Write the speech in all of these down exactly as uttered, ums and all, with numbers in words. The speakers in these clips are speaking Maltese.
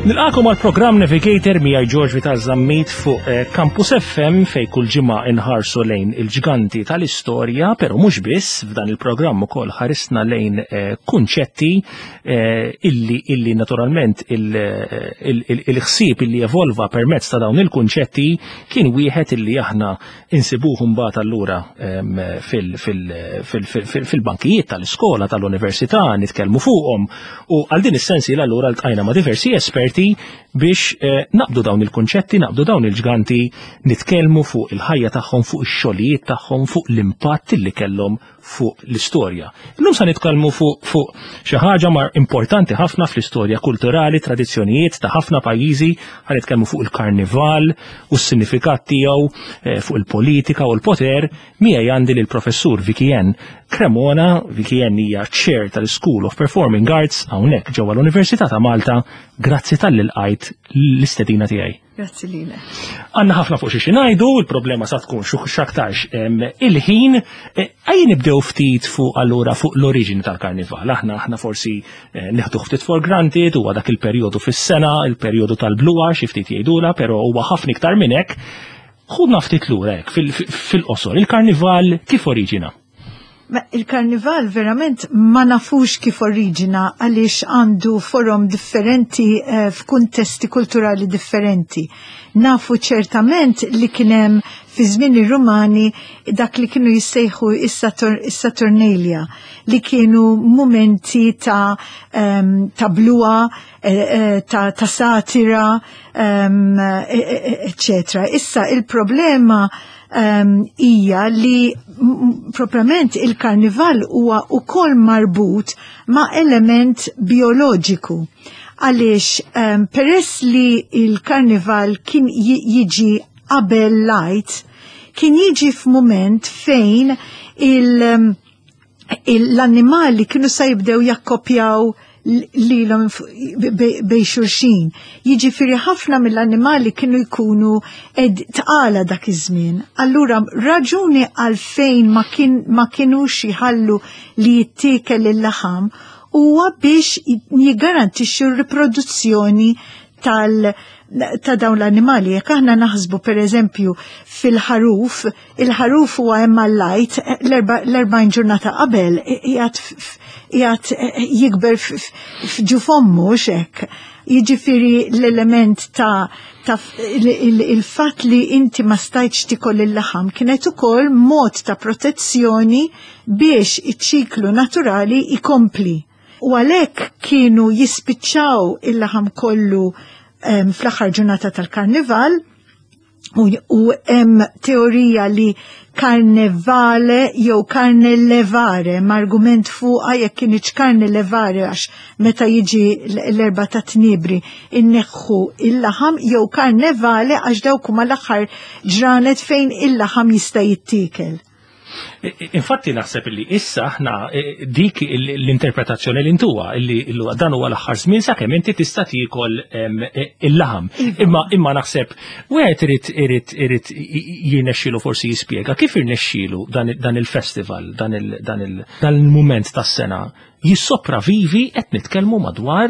Nilqagħkom għal programm Navigator miegħi George Vital Zammit fuq eh, Campus F M, fej kull ġimgħa inħarsu lejn il-ġganti tal-istorja, però mhux biss. F'dan il-programm ukoll ħarisna lejn eh, kunċetti eh, illi illi naturalment il-ħsieb illi evolva permezz ta' dawn il-kunċetti kien wieħed illi aħna insibuh mbagħad allura fil-bankijiet tal-iskola, tal-università, nitkellmu fuqhom, u għal din is-sensi allura ltqajna ma' diversi esperti biex eh, naqbdu dawn il-kunċetti, naqbdu dawn il-ġganti, nitkellmu fuq il-ħajja tagħhom, fuq ix-xogħlijiet tagħhom, fuq l-impatt li kellhom fuq l-istorja. Illum sa nitkellmu fuq fuq xi ħaġa mar importanti ħafna fl-istorja kulturali, tradizzjonijiet ta' ħafna pajjiżi. Ħa nitkellmu fuq il-karnival u s-sinifikat tiegħu eh, fuq il-politika u l-poter. Miegħi għandi lill-professur Vicky-Ann Cremona. Vicky-Ann hija chair tal-School of Performing Arts hawnhekk ġewwa l-Università ta' Malta. Grazzi talli lqajt l-istedina tiegħi. Grazzi lilek. Għandna ħafna fuq xi ngħidu, il-problema sa tkun x'aktarx il-ħin. E, ejja nibdew ftit fuq allura fuq l-oriġini tal-karnival. Aħna aħna forsi eh, nieħdu ftit for granted, huwa dak il-perjodu fis-sena, il-perjodu tal-bluha xi ftit jgħidula, però huwa ħafna iktar minn hekk. Ħudna ftit lura hekk fil-qosor, il-karnival kif oriġina? Il-karnival verament ma nafux kif oriġina, għaliex għandu forom differenti eh, f'kuntesti kulturali differenti. Nafu ċertament li kienem fi żmien ir-Rumani dak li kienu jissejħu is-Saturnalia, li kienu momenti ta' um, ta' bluha, eh, eh, ta', ta satira, um, eccetera. Issa il-problema hija um, li proprjament il-karnival huwa ukoll marbut ma' element bioloġiku. Għaliex um, peress li il-karnival kien jiġi qabel l-Għid, kien jiġi f'mument fejn il- l-annimali kienu sa jibdew jakkopjaw lilhom bejn xulxin. Jiġifieri ħafna mill-annimali kienu jkunu ed tqala dak iż-żmien. Allura raġuni għalfejn ma, kien, ma kienux jħallu li jittiekel il-laħam huwa biex jiggarantixxu r-riproduzzjoni tal- ta' dawn l-annimali. Jekk aħna naħsbu, per eżempju, fil-ħaruf, il-ħaruf huwa hemm l-Għid l-erbgħin ġurnata qabel qiegħed jikber f'ġuf ommu hekk. Jiġifieri l-element ta' ta' il-fatt li inti ma stajtx tikol il-laħam kienet ukoll mod ta' protezzjoni biex iċ-ċiklu naturali ikompli. U għalhekk kienu jispiċċaw il-laħam kollu um, fl-aħħar ġurnata tal-karnival u hemm teorija li karnevale jew karnelevare, argument fuqa jekk kienx karnelevare għax meta jiġi l-Erbgħa ta' Tniebri inneħħu il-laħam, jew karnevale għax dawk huma l-aħħar ġranet fejn il-laħam jista' jittiekel. Infatti naħseb li issa aħna eh, dik l-interpretazzjoni li ntuha illi dan huwa l-aħħar żmien sakemm inti tista' tiekol eh, il-laħam. Iva. Imma imma naħseb wieħed irid irid irid jirnexxielu forsi jispjega kif irnexxielu dan il-festival, dan il-mument tas-sena jissopravivi, qed nitkellmu madwar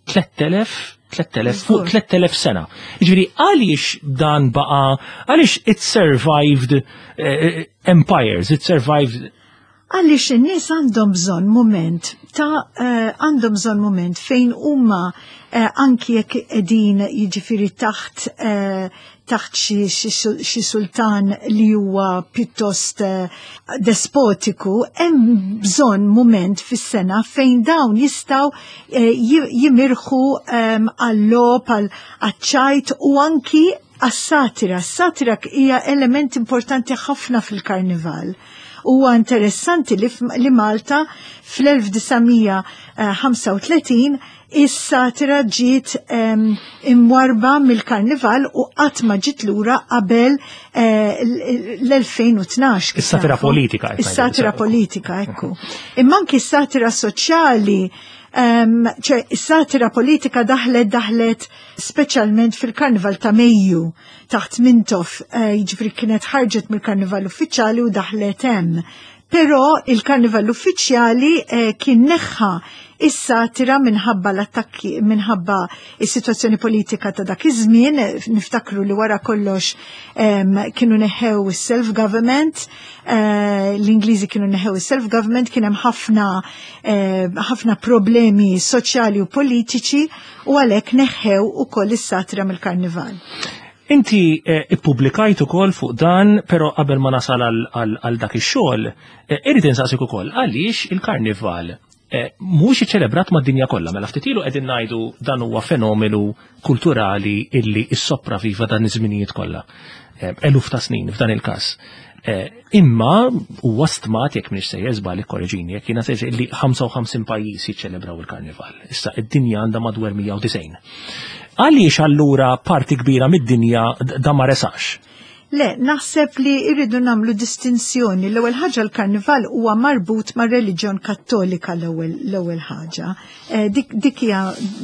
tliet elef tliet elef fuq tliet elef sena. Ġifieri għaliex dan baqa, għaliex it survived uh, empires, it survived? Għaliex in-nies għandhom bżonn moment ta' eh, għandhom bżonn moment fejn huma uh, anki jekk qegħdin, jiġifieri, taħt uh, taħt xi sultan li huwa pjuttost despotiku, hemm bżonn moment fis-sena fejn dawn jistgħu jimirħu għall-logħob, għall-ċajt u anki għas-satira. S-satira hija element importanti ħafna fil-karnival. Huwa interessanti li, li Malta fl-elf disa' mija ħamsa u tletin is-satira ġiet imwarba mill-karnival u qatt ma ġiet lura qabel eh, l-elfejn u tnax. Is-satira politika. Is-satira politika, ekku. Imma anki s-satira soċjali, ċe is-satira politika daħlet daħlet speċjalment fil-karnival ta' Mejju taħt Mintoff, eh, jiġifieri kienet ħarġet mill-karnival uffiċjali u daħlet hemm. Però il-karnival uffiċjali eh, kien neħħa Is-satira minħabba l-attakki, minħabba is-sitwazzjoni politika ta' dak iż-żmien, niftakru li wara kollox um, kienu neħew is-self-government, uh, l-Ingliżi kienu neħew is-self-government, kien hemm ħafna eh, ħafna problemi soċjali u politiċi u għalhekk neħew ukoll is-satira mill-karnival. Inti eh, ippubblikajt ukoll fuq dan, però qabel ma nasal għal dak ix-xogħol, eh, irrid insaqsik ukoll għaliex il-karnival eh, mhux iċċelebrat mad-dinja kollha, mela ftit ilu qegħdin ngħidu dan huwa fenomenu kulturali illi issopraviva dan iż-żminijiet kollha. Eluf ta' snin f'dan il-każ. Imma huwa stmat, jekk m'iniex sejjer żball ikkoreġini, jekk jiena sejjer, li ħamsa u ħamsin pajjiż jiċċelebraw il-karnival. Issa id-dinja għandha madwar mija u disgħin. Għaliex allura parti kbira mid-dinja da ma resax? Le, naħseb li irridu nagħmlu distinzjoni. L-ewwel ħaġa, l-karnival huwa marbut ma' reliġjon Kattolika, l-ewwel l-ewwel ħaġa. Eh, dik dik hija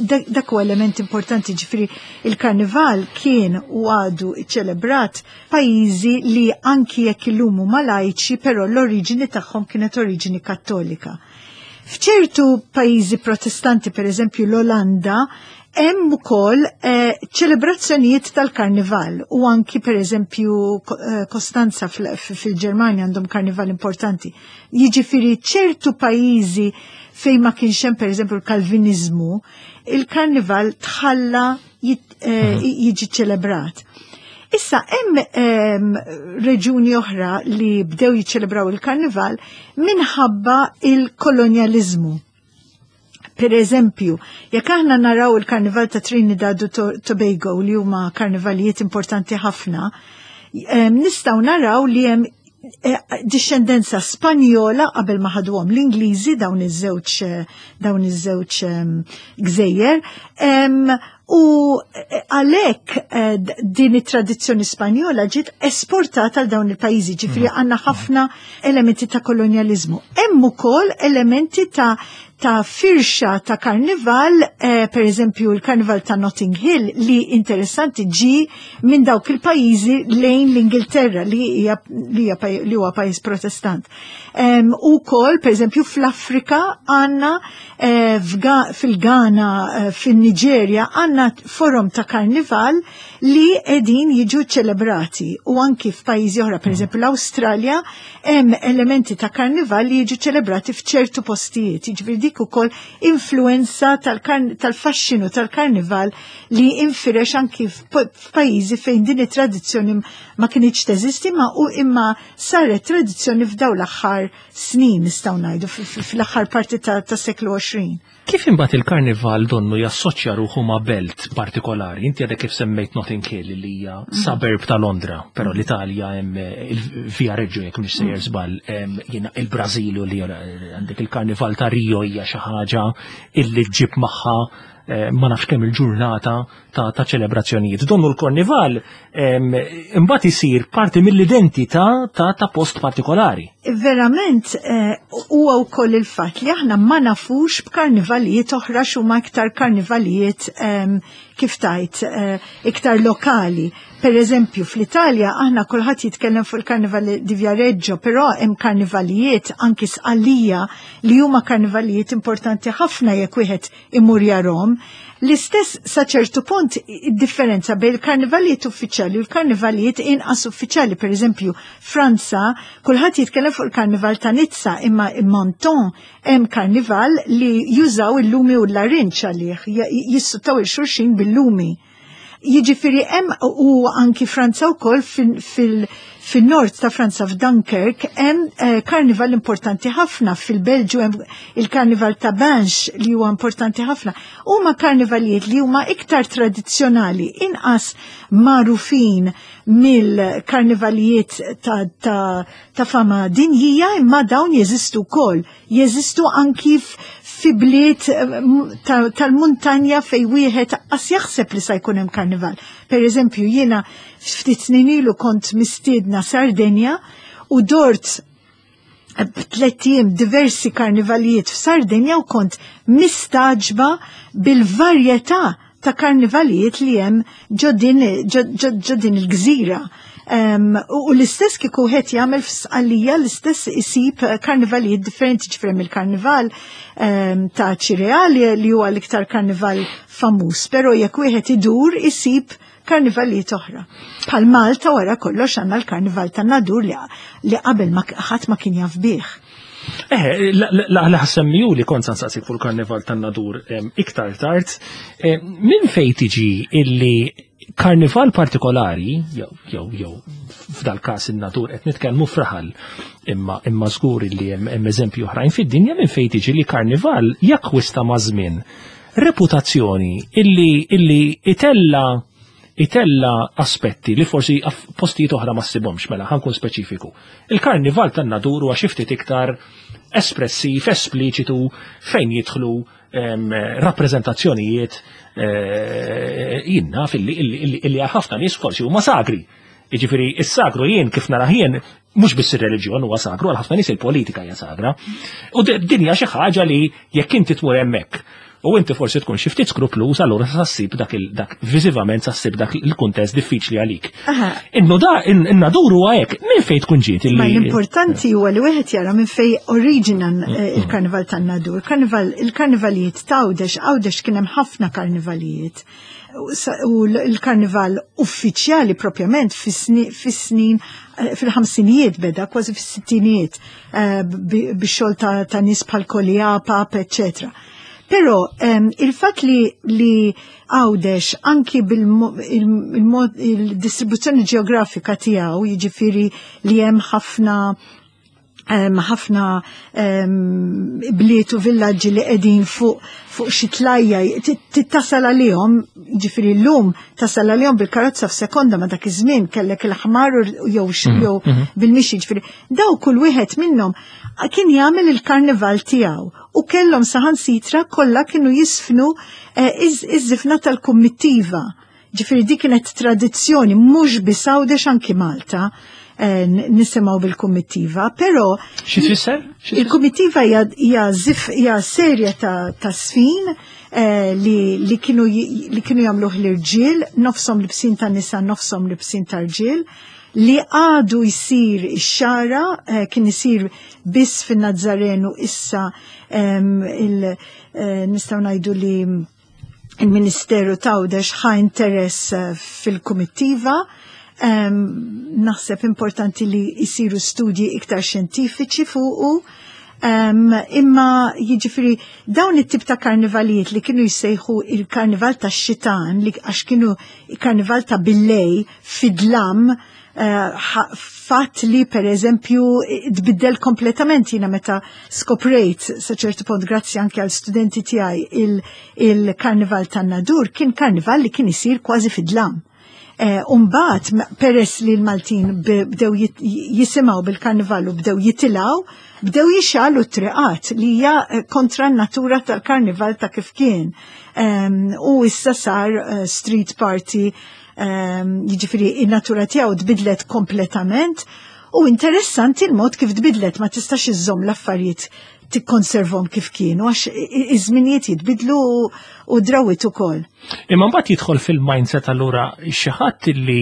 dak huwa element importanti, ġifieri il-karnival kien u għadu ċelebrat pajjiżi li anki jekk illum huma lajċi, però l-oriġini tagħhom kienet oriġini Kattolika. F'ċertu pajjiżi Protestanti, per eżempju l-Olanda, hemm ukoll eh, ċelebrazzjonijiet tal-karnival u anki per eżempju eh, Kostanza fil-Ġermanja għandhom karnival importanti. Jiġifieri ċertu pajjiżi fejn ma kienx hemm, per eżempju, l-Kalvinizmu, il-karnival tħalla eh, mhm. jiġi ċelebrat. Issa hemm reġuni oħra li bdew jiċċelebraw il-karnival minħabba il-kolonjalizmu. Per eżempju, jekk aħna naraw il-karnival ta' Trinidad u Tobago, li huma karnivalijiet importanti ħafna, nistgħu naraw li hemm eh, discendenza Spanjola qabel ma ħaduhom l-Ingliżi dawn iż-żewġ dawn iż-żewġ gżejjer, u eh, għalhekk eh, din it-tradizzjoni Spanjola ġiet esportata għal dawn il-pajjiżi, ġifieri mm. għandna ħafna elementi ta' kolonjalizmu. Hemm ukoll elementi ta' ta' firxa ta' karnival, eh, per eżempju il-karnival ta' Notting Hill, li interessanti ġi minn dawk il-pajjiżi lejn l-Ingilterra, li hija li huwa pajjiż Protestant. Um, u kol, per eżempju, fl-Afrika għandna eh, fil-Ghana, eh, fil-Nigeria, għandna forom ta' karnival li qegħdin jiġu ċelebrati u anki f'pajjiżi oħra, per eżempju l-Awstralja, hemm elementi ta' karnival li jiġu ċelebrati f'ċertu postijiet. Jiġifieri dik ukoll influenza tal-faxxinu tal-karnival li infirex anki f'pajjiżi fejn din it-tradizzjoni ma kinitx teżisti ma u imma saret tradizzjoni f'daw l-aħħar snin, nistgħu ngħidu fl-aħħar parti tas-seklu għoxrin. Kif imbagħad il-karnival donnu jassoċja ruħu ma' belt partikolari? Inti għadek kif semmejt Notting Hill, li hija mm. suburb ta' Londra, però mm. l-Italja hemm eh, il-Viareggio, jekk mhix sejjer mm. żball, jiena il-Brażil li għandek il-karnival ta' Rio, hija xi ħaġa illi ġġib magħha eh, ma nafx kemm il-ġurnata ta', ta ċelebrazzjonijiet. Donnu l-karnival imbagħad isir parti mill-identità ta', ta post partikolari. Verament eh, huwa wkoll il-fatt li aħna ma nafux b'karnivalijiet oħra x'huma iktar karnivalijiet, kif tajt, eh, iktar lokali. Per eżempju, fl-Italja aħna kulħadd jitkellem fuq il-Karnival di Viareggio, però hemm karnivalijiet anki Sqallija li huma karnivalijiet importanti ħafna jekk wieħed imur jarahom. L-istess sa ċertu punt differenza bejn il-karnivalijiet uffiċjali u l-karnivalijiet inqas uffiċjali. Per eżempju, Franza, kulħadd jitkellem fuq il-karnival ta' Nizza, imma Menton hemm karnival li jużaw il-lumi u l-larinċ għalih, jissuttaw 'il xulxin bil-lumi. Jiġifieri hemm u anki Franza wkoll fil- fil-nord ta' Franza, f'Dunkirk, hemm eh, karnival importanti ħafna, fil-Belġu hemm il-karnival ta' Binche li huwa importanti ħafna. Huma karnivalijiet li huma iktar tradizzjonali, inqas magħrufin mill-karnivalijiet ta', ta, ta fama dinjija, imma dawn jeżistu wkoll. Jeżistu anki fi bliet eh, tal-muntanja fej wieħed qas jaħseb li sa jkun hemm karnival. Per eżempju, jiena ftit snin ilu kont mistiedna Sardenja u dort b'tliet ijiem diversi karnivalijiet f'Sardenja u kont mistaġba bil-varjetà ta' karnivalijiet li hemm ġo din il-gżira. Um, u l-istess kieku wieħed jagħmel f'Sqallija, l-istess isib karnivalijiet differenti. Ġifieri il-karnival um, ta' Ċireali li huwa l-iktar karnival famuż, però jekk wieħed idur isib karnivalijiet oħra. Bħal Malta, wara kollox, għandna l-karnival ta' Nadur li, li qabel ma ħadd ma kien jaf bih. Eh, la la ħsemmiju li kont nsaqsik fuq il-karnival tan-Nadur iktar tard. Minn fejn tiġi illi karnival partikolari, jew jew jew f'dal każ in-Nadur, qed nitkellmu f'raħal, imma imma żgur li hemm eżempju oħrajn fid-dinja, minn fejn tiġi li karnival jakkwista ma' żmien reputazzjoni illi illi itella itella aspetti li forsi postijiet oħra ma ssibhomx? Mela ħa nkun speċifiku. Il-karnival tan-Nadur huwa xi ftit iktar espressiv, espliċitu, fejn jidħlu rappreżentazzjonijiet eh, jinna illi għal ħafna nies forsi huma sagri. Jiġifieri is-sagru jien kif nara jien, mhux biss ir-reliġjon huwa sagru, għal ħafna nies il-politika hija sagra. U din hija xi ħaġa li jekk inti tmur hemmhekk u inti forsi tkun xi ftit skrupluż, allura sa ssib dak dak viżivament, sa ssib dak il-kuntest diffiċli għalik. Innu da in-Nadur huwa hekk, minn fejn tkun ġiet illi. Ma l-importanti huwa li wieħed jara minn fejn oriġina eh, il-karnival tan-Nadur. Karnival il-karnivalijiet ta' Għawdex, Għawdex kien hemm ħafna karnivalijiet. U l-karnival uffiċjali propjament fis-snin eh, fil-ħamsinijiet beda, kważi fis-sittinijiet, eh, bix-xogħol ta' nies bħal Kolija, Pap, eccetera. Però um, il-fat li, li Għawdex anki bil-mod il-distribuzzjoni ġeografika tiegħu, jiġifieri li hemm ħafna ħafna bliet u villaġġi li qegħdin fuq fuq xi tlajja tittasal għalihom, ġifieri llum tasal għalihom bil-karozza f'sekonda, ma dak iż-żmien kellek il-ħmar jew mhm, jew mhm. bil-mixi. Ġifieri daw kull wieħed minnhom kien jagħmel il-karnival tiegħu u kellhom saħansitra kollha kienu jisfnu eh, iż-żifna tal-kummittiva. Ġifieri dik kienet tradizzjoni mhux biss Għawdex, anki Malta eh, nisimgħu bil-kummittiva, però Xi tfisser? Il-kummittiva hija hija serje ta' ta' sfin eh, li, li kienu li kienu jagħmluh l-irġiel, nofshom libsin ta' nisa, nofshom libsin ta' rġiel, li għadu jisir ix-Xagħra, eh, kien jisir biss fin-Nazzarenu, issa il, nistgħu ngħidu li il-Ministeru t'Għawdex ħa interess fil-kumittiva. Naħseb importanti li jisiru studji iktar xjentifiċi fuqu. Um, imma jiġifieri dawn it-tip ta' karnivalijiet li kienu jissejħu il-karnival ta' xitan, li għax kienu il-karnival ta' billejl fid-dlam, uh, fatt li per eżempju tbiddel kompletament. Jiena meta skoprejt sa ċertu punt, grazzi anke għal studenti tiegħi, il-karnival il tan-Nadur kien karnival li kien isir kważi fid-dlam. Eh, Umbagħad, peress li l-Maltin bdew jisimgħu bil-karnival u bdew jitilgħu, bdew jixegħlu t-triqat, li hija eh, kontra n-natura tal-karnival ta' kif kien. U issa sar eh, street party, jiġifieri in-natura tiegħu tbidlet kompletament. U interessanti il-mod kif tbidlet, ma tistax iżżomm l-affarijiet, tikkonservhom kif kienu, għax iż-żminijiet jitbidlu u drawwiet ukoll. Imma mbagħad jidħol fil-mindset allura xi ħadd li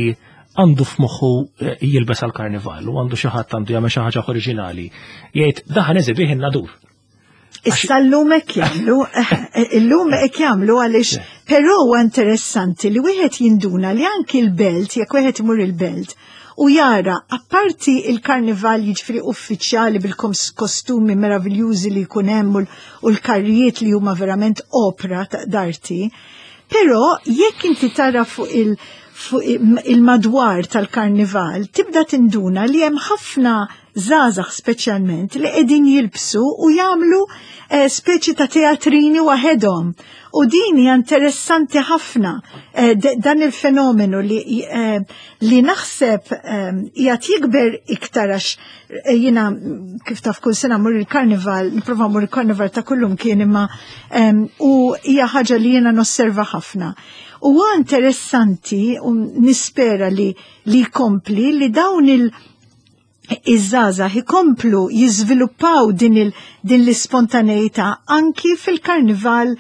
għandu f'moħħu eh, jilbes għal karnival u għandu xi ħadd għandu jagħmel xi ħaġa oriġinali. Jgħid, "Dak ħa neżebih in-Nadur." Issa llum hekk jagħmlu, illum hekk jagħmlu għaliex, però huwa interessanti li wieħed jinduna li anki l-Belt, jekk wieħed imur il-Belt u jara apparti il-karnival, jiġifieri uffiċjali bil-kostumi meraviljużi li jkun hemm u l-karrijiet li huma verament opra d'arti, però jekk inti tara fuq il- fuq il-madwar tal-karnival, tibda tinduna li hemm ħafna żgħażagħ speċjalment li qegħdin jilbsu u jagħmlu eh, speċi ta' teatrini waħedhom. U din hija interessanti ħafna, eh, dan il-fenomenu li, eh, li naħseb qiegħed jikber iktar, għax jiena kif taf kull sena mmur il-karnival, nipprova mmur il-karnival ta' kullum kien, imma u hija ħaġa li jiena nosserva ħafna. U interessanti u nispera li li kompli li dawn il- iż-żgħażagħ ikomplu jiżviluppaw din il din l-ispontaneità anki fil-karnival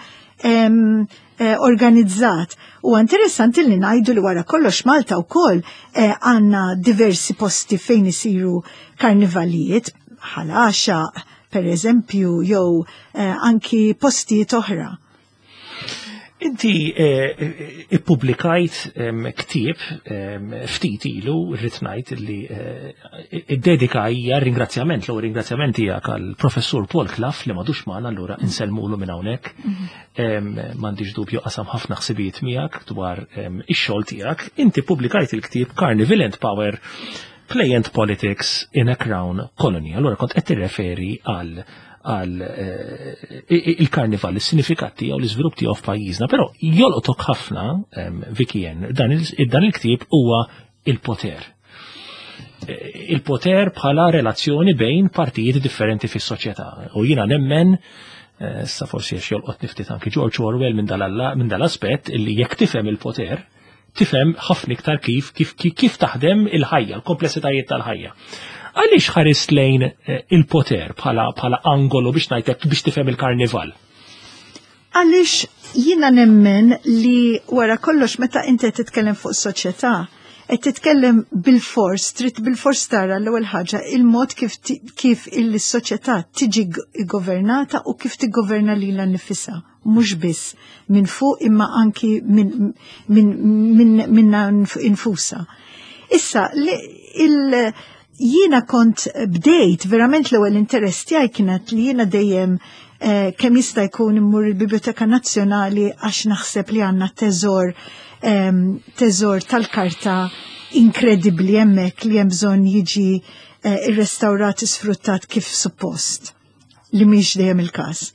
eh, organizzat. U interessanti li ngħidu li wara kollox Malta wkoll eh, għandna diversi posti fejn isiru karnivalijiet, Ħal Għaxaq, per eżempju, jew eh, anki postijiet oħra. Inti eh, ippubblikajt ktieb ftit ilu, rrid ngħid li eh, id-dedika hija ringrazzjament, l ringrazzjament tiegħek għall-professur Paul Clough li m'għadux magħna, allura insellmulu minn hawnhekk. Mhm. M'għandix dubju qasam ħafna ħsibijiet miegħek dwar ix-xogħol tiegħek. Inti pubblikajt il-ktieb Carnival and Power: Play and Politics in a Crown Colony. Allura kont qed tirreferi għal għal eh, il-karnival, il-sinifikat tiegħu, l-iżvilupp tiegħu f'pajjiżna, però jolqtok ħafna, Vicky, dan il-ktieb huwa il-poter. Eh, il-poter bħala relazzjoni bejn partijiet differenti fis-soċjetà. U jiena nemmen, eh, sa forsi għax jolqot niftit anki George Orwell minn dal-aspett, illi jekk tifhem il-poter, tifhem ħafna iktar kif kif kif taħdem il-ħajja, l-komplessitajiet tal-ħajja. Għaliex ħares lejn eh, il-poter bħala bħala angolu biex ngħidlek biex tifhem il-karnival? Għaliex jiena nemmen li wara kollox meta inti titkellem fuq soċjetà, qed titkellem bil-fors, trid bil-fors tara l-ewwel ħaġa il-mod kif kif il-soċjetà tiġi governata u kif tiggoverna lilha nnifisha, mhux biss minn fuq imma anki minn min, min, minna nfusha. Issa, il jiena kont bdejt, verament l-ewwel interess tiegħi kienet li jiena dejjem eh, kemm jista' jkun immur il-Biblioteka Nazzjonali għax naħseb li għandna teżor teżor tal-karta inkredibbli hemmhekk li hemm bżonn jiġi eh, irrestawrat, sfruttat kif suppost, li mhix dejjem il-każ.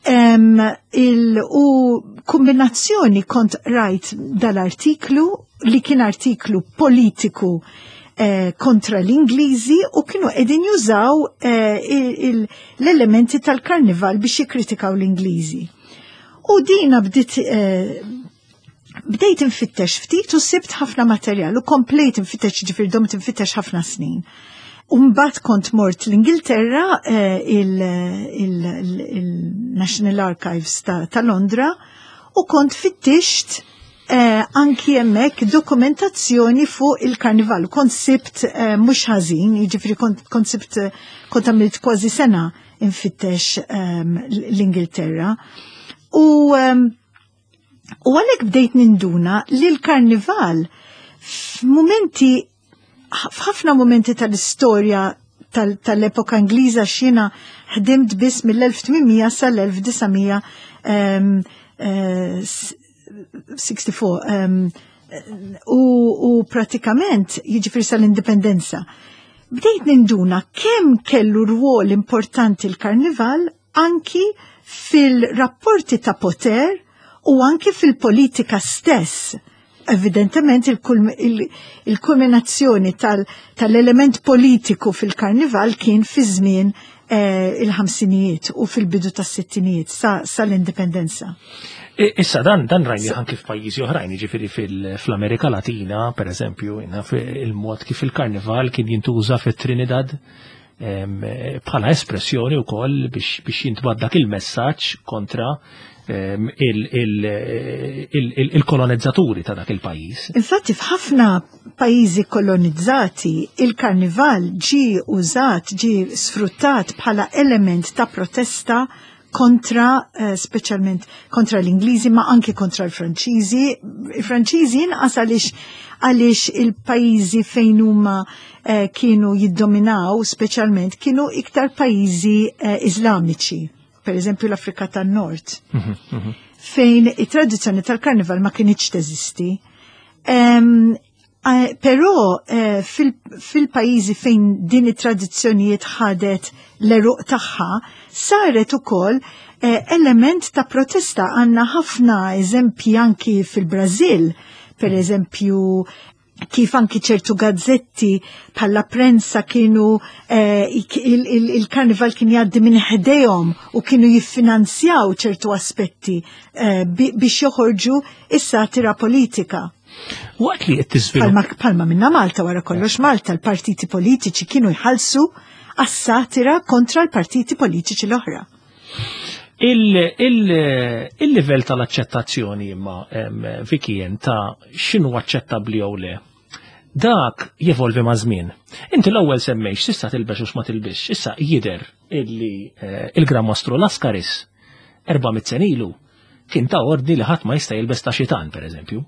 Um, il, u kombinazzjoni kont rajt dal-artiklu li kien artiklu politiku eh, kontra l-Ingliżi u kienu qegħdin jużaw eh, l-elementi tal-karnival biex jikkritikaw l-Ingliżi. U dina bdiet eh, bdejt infittex ftit u sibt ħafna materjal u komplejt infittex, ġifieri domt infittex ħafna snin. Umbat kont mort l-Ingilterra, eh, il-National Archives ta', ta Londra, u kont fittixt eh, anki hemmhekk dokumentazzjoni fuq il-karnival. Kont sibt eh, mhux ħażin, jiġifieri kont, kont sibt, kont għamilt kważi sena infittex um, l-Ingilterra. U um, u għalhekk bdejt ninduna li l-karnival f'mumenti, f'ħafna momenti tal-istorja tal-epoka Ingliża, x'jiena ħdimt biss mill-elf tmien mija sal-elf disa' mija sessja u erbgħin u, u pratikament jiġifieri sal-indipendenza. Bdejt ninduna kemm kellu rwol importanti l-karnival anki fil-rapporti ta' poter u anki fil-politika stess. Evidentement il-kulminazzjoni tal-element politiku fil-karnival kien fi żmien eh, il-ħamsinijiet u fil-bidu tas-sittinijiet sal-indipendenza. Issa dan dan rajni anki f'pajjiżi oħrajn, jiġifieri fl-Amerika Latina, per eżempju, il-mod kif il-karnival kien jintuża fit-Trinidad bħala espressjoni wkoll biex biex dak il-messaġġ kontra il-kolonizzaturi ta' dak il-pajjiż. Infatti f'ħafna pajjiżi kolonizzati il-karnival ġi użat, ġi sfruttat bħala element ta' protesta kontra, eh, speċjalment kontra l-Ingliżi, ma anki kontra l-Franċiżi. Il-Franċiżi inqas għaliex għaliex il-pajjiżi fejn huma eh, kienu jiddominaw, speċjalment kienu iktar pajjiżi eh, Iżlamiċi, per eżempju l-Afrika tan-Nord, mhm, mhm. fejn it-tradizzjoni tal-karnival ma kinitx teżisti. Um, Però eh, fil-pajjiżi fejn din it-tradizzjonijiet ħadet l-għeruq tagħha, saret ukoll eh, element ta' protesta. Għandna ħafna eżempji anki fil-Brażil, per eżempju kif anki ċertu gazzetti bħala Prensa kienu eh, il-karnival kien jgħaddi minn ħdejhom u kienu jiffinanzjaw ċertu aspetti eh, biex joħorġu is-satira politika. Waqt li qed tiżvilupp. Palma minna Malta, wara kollox Malta l-partiti politiċi kienu jħallsu għas-satira kontra l-partiti politiċi l-oħra. Il-livell tal-aċċettazzjoni imma, Vikien, ta' x'inhu aċċettabbli jew le, dak jevolvi ma' żmien. Inti l-ewwel semmejx tista' tilbes u x'ma tilbisx. Issa jidher illi eh, il-Gran Mastru Lascaris erba' mitt sena ilu kien ta ordni li ħadd ma jista' jilbes ta' xitan, pereżempju.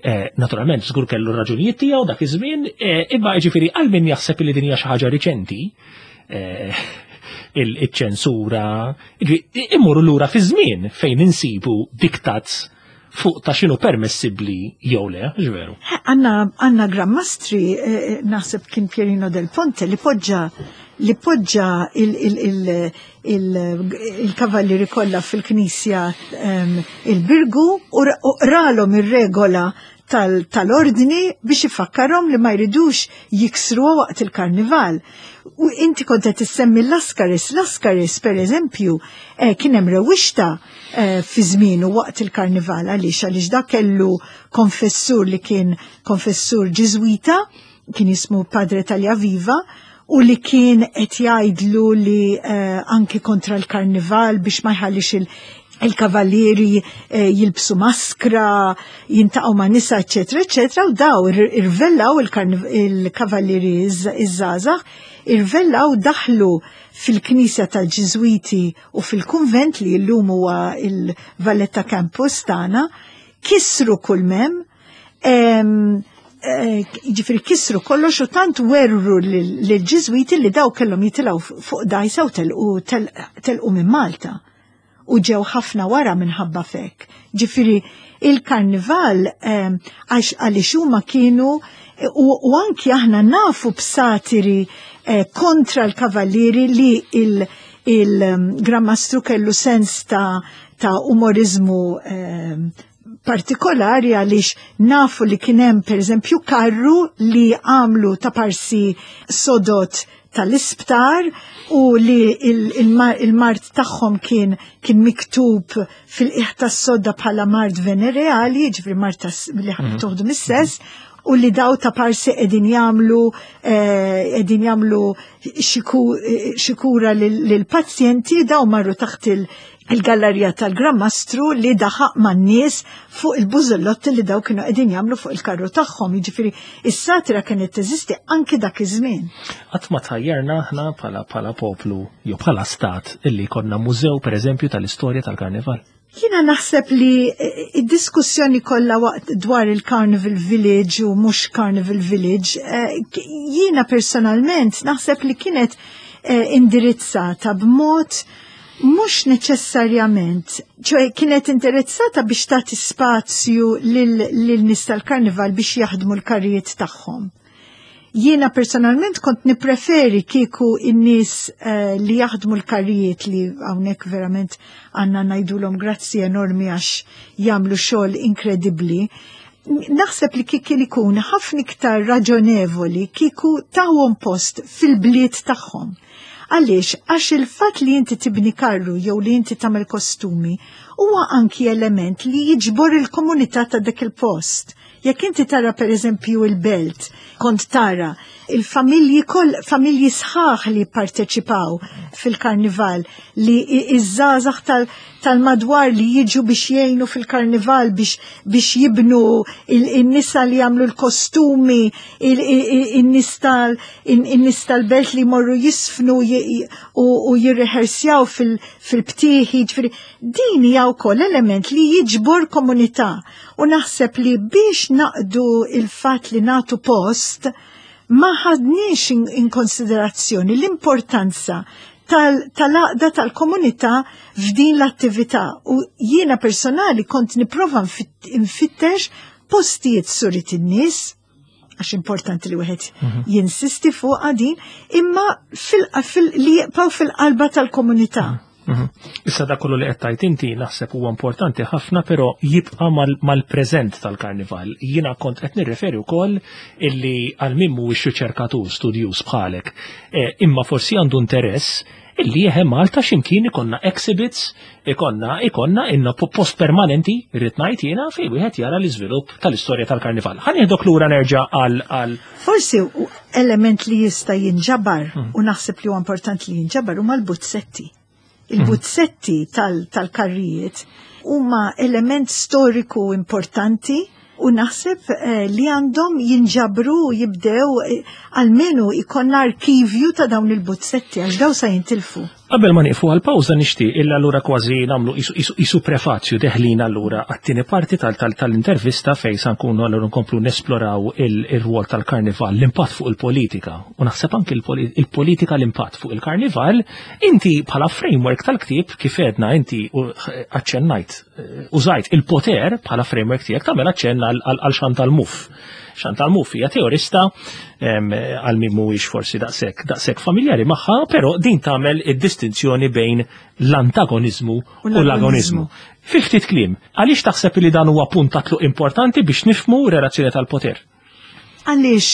Eh, naturalment, żgur kellu raġunijiet tiegħu dak iż-żmien, eh, imma ġifieri għal min jaħseb li din hija xi ħaġa riċenti, il-ċensura, immorru lura fi żmien fejn insibu diktats fuq ta' x'inhu permessibbli jew le, veru. Għandna għandna Gran Mastri, eh, naħseb kien Pierino del Ponte, li poġġa li poġġa il-kavallieri kollha fil-knisja il-Birgu u qralhom ir-regola tal-ordni biex ifakkarhom li ma jridux jiksru waqt il-karnival. U inti kont qed issemmi Lascaris, Lascaris per eżempju, eh, kien hemm rewwixta eh, fi żmienu waqt il-karnival. Għaliex? Għaliex dak kellu konfessur li kien konfessur Ġiżwita, kien jismu Padre Tagliaviva, u li kien qed jgħidlu li eh, anki kontra l-karnival biex ma jħallix il- il-kavallieri eh, jilbsu maskra, jiltaqgħu ma' nisa, eccetera, eccetera, u daw irvellaw il-kavallieri iż-żgħażagħ, irvellaw, daħlu fil-knisja tal-Ġiżwiti u fil-kunvent li llum huwa il-Valletta Campus tagħna, kisru kull m'hemm, eh, ġifieri kisru kollox u tant werru l-Ġiżwiti li daw kellhom jitilgħu fuq dgħajsa u telqu minn Malta u ġew ħafna wara minħabba fek. Ġifieri il-karnival għax għaliex huma kienu u anki aħna nafu b'satiri eh, kontra l-kavallieri li il-Gran Mastru kellu sens ta' ta' umorizmu partikolari, għaliex nafu li kien hemm per eżempju karru li għamlu ta' parsi sodod tal-isptar u li il-mard tagħhom kien kien miktub fil-qiegħ tas-sodda bħala mard venereali, ġifieri mard li mhm. toħdu mis-sess, u li daw ta' parsi qegħdin jagħmlu qegħdin jagħmlu xi kura lill-pazjenti. Daw marru taħt il-gallerija tal-Gran Mastru li daħaq man-nies fuq il-bużellotti li daw kienu qegħdin jagħmlu fuq il-karru tagħhom. Jiġifieri is-satira kienet teżisti anki dak iż-żmien. Qatt ma tħajjarna aħna bħala bħala poplu jew bħala stat illi konna mużew, pereżempju, tal-istorja tal-karnival? Jiena naħseb li eh, id-diskussjoni kollha waqt dwar il-Carnival Village u mhux Carnival Village, eh, jiena personalment naħseb li kienet eh, indirizzata b'mod mhux neċessarjament, ċoè kienet indirizzata biex tagħti spazju lil nies tal-karnival biex jaħdmu l-karrijiet tagħhom. Jiena personalment kont nipreferi kieku in-nies uh, li jaħdmu l-karrijiet, li hawnhekk verament għandna ngħidulhom grazzi enormi għax jagħmlu xogħol inkredibbli. Naħseb li kien ikun ħafna iktar raġonevoli kieku tawhom post fil-bliet tagħhom. Għaliex? Għax il-fatt li inti tibni karru jew li inti tagħmel kostumi huwa anki element li jiġbor il-komunità ta' dak il-post. Jekk inti tara per eżempju il-Belt, kont tara il-familji koll, familji sħaħ li parteċipaw fil-karnival, li iż-żgħażagħ tal-madwar li jiġu biex jgħinu fil-karnival, biex, biex jibnu, il-nisa li jagħmlu l-kostumi, in-nies tal-Belt li morru jiżfnu u jirrehersjaw fil-btieħi, ġifieri din hija wkoll element li jiġbor komunità u naħseb li biex naqdu il-fatt li nagħtu post ma ħadniex in konsiderazzjoni l-importanza tal-għaqda tal-komunità f'din l-attività u jiena personali kont nipprova nfittex postijiet surit in-nies, għax importanti li wieħed mhm. jinsisti fuq din, imma li jibqgħu fil-qalba tal-komunità. Mhm. Mhm. Issa da kollu li qed tgħid inti naħseb huwa importanti ħafna, però jibqa' mal-preżent tal-karnival. Jiena kont qed nirreferi wkoll illi għal min mhuwiex riċerkatur studjuż bħalek, eh, imma forsi għandu interess illi jeħe Malta x'imkien ikonna exhibits, ikonna ikonna inna post permanenti, rrid ngħid jiena, fejn wieħed jara l-iżvilupp tal-istorja tal-karnival. Ħa nieħdok lura nerġa' għal għal Forsi element li jista' jinġabar hmm. u naħseb li huwa importanti li jinġabar huma l-buzzetti. Il-buzzetti tal-karrijiet huma element storiku importanti u naħseb li għandhom jinġabru u jibdew almenu ikonna arkivju ta' dawn il-buzzetti għax daw sa jintilfu. Qabel ma nieqfu għal-pawża nixtieq illa allura kważi nagħmlu isu prefazju deħlin allura għat-tieni parti tal-intervista fejn sa nkunu allura nkomplu nesploraw ir-rwol tal-karnival, l-impatt fuq il-politika u naħseb anki il-politika l-impatt fuq il-karnival. Inti bħala framework tal-ktieb kif għedna inti aċċennajt użajt il-poter bħala framework tiegħek tagħmel aċċenn għal Chantal Mouffe. Chantal Mouffe hija teorista għal min mhuwiex forsi daqshekk daqshekk familjari magħha, però din tagħmel id-distinzjoni bejn l-antagonizmu u l-agonizmu. Fi ftit kliem, għaliex taħseb li dan huwa punt ta' tluq importanti biex nifhmu relazzjoni tal-poter? Għaliex,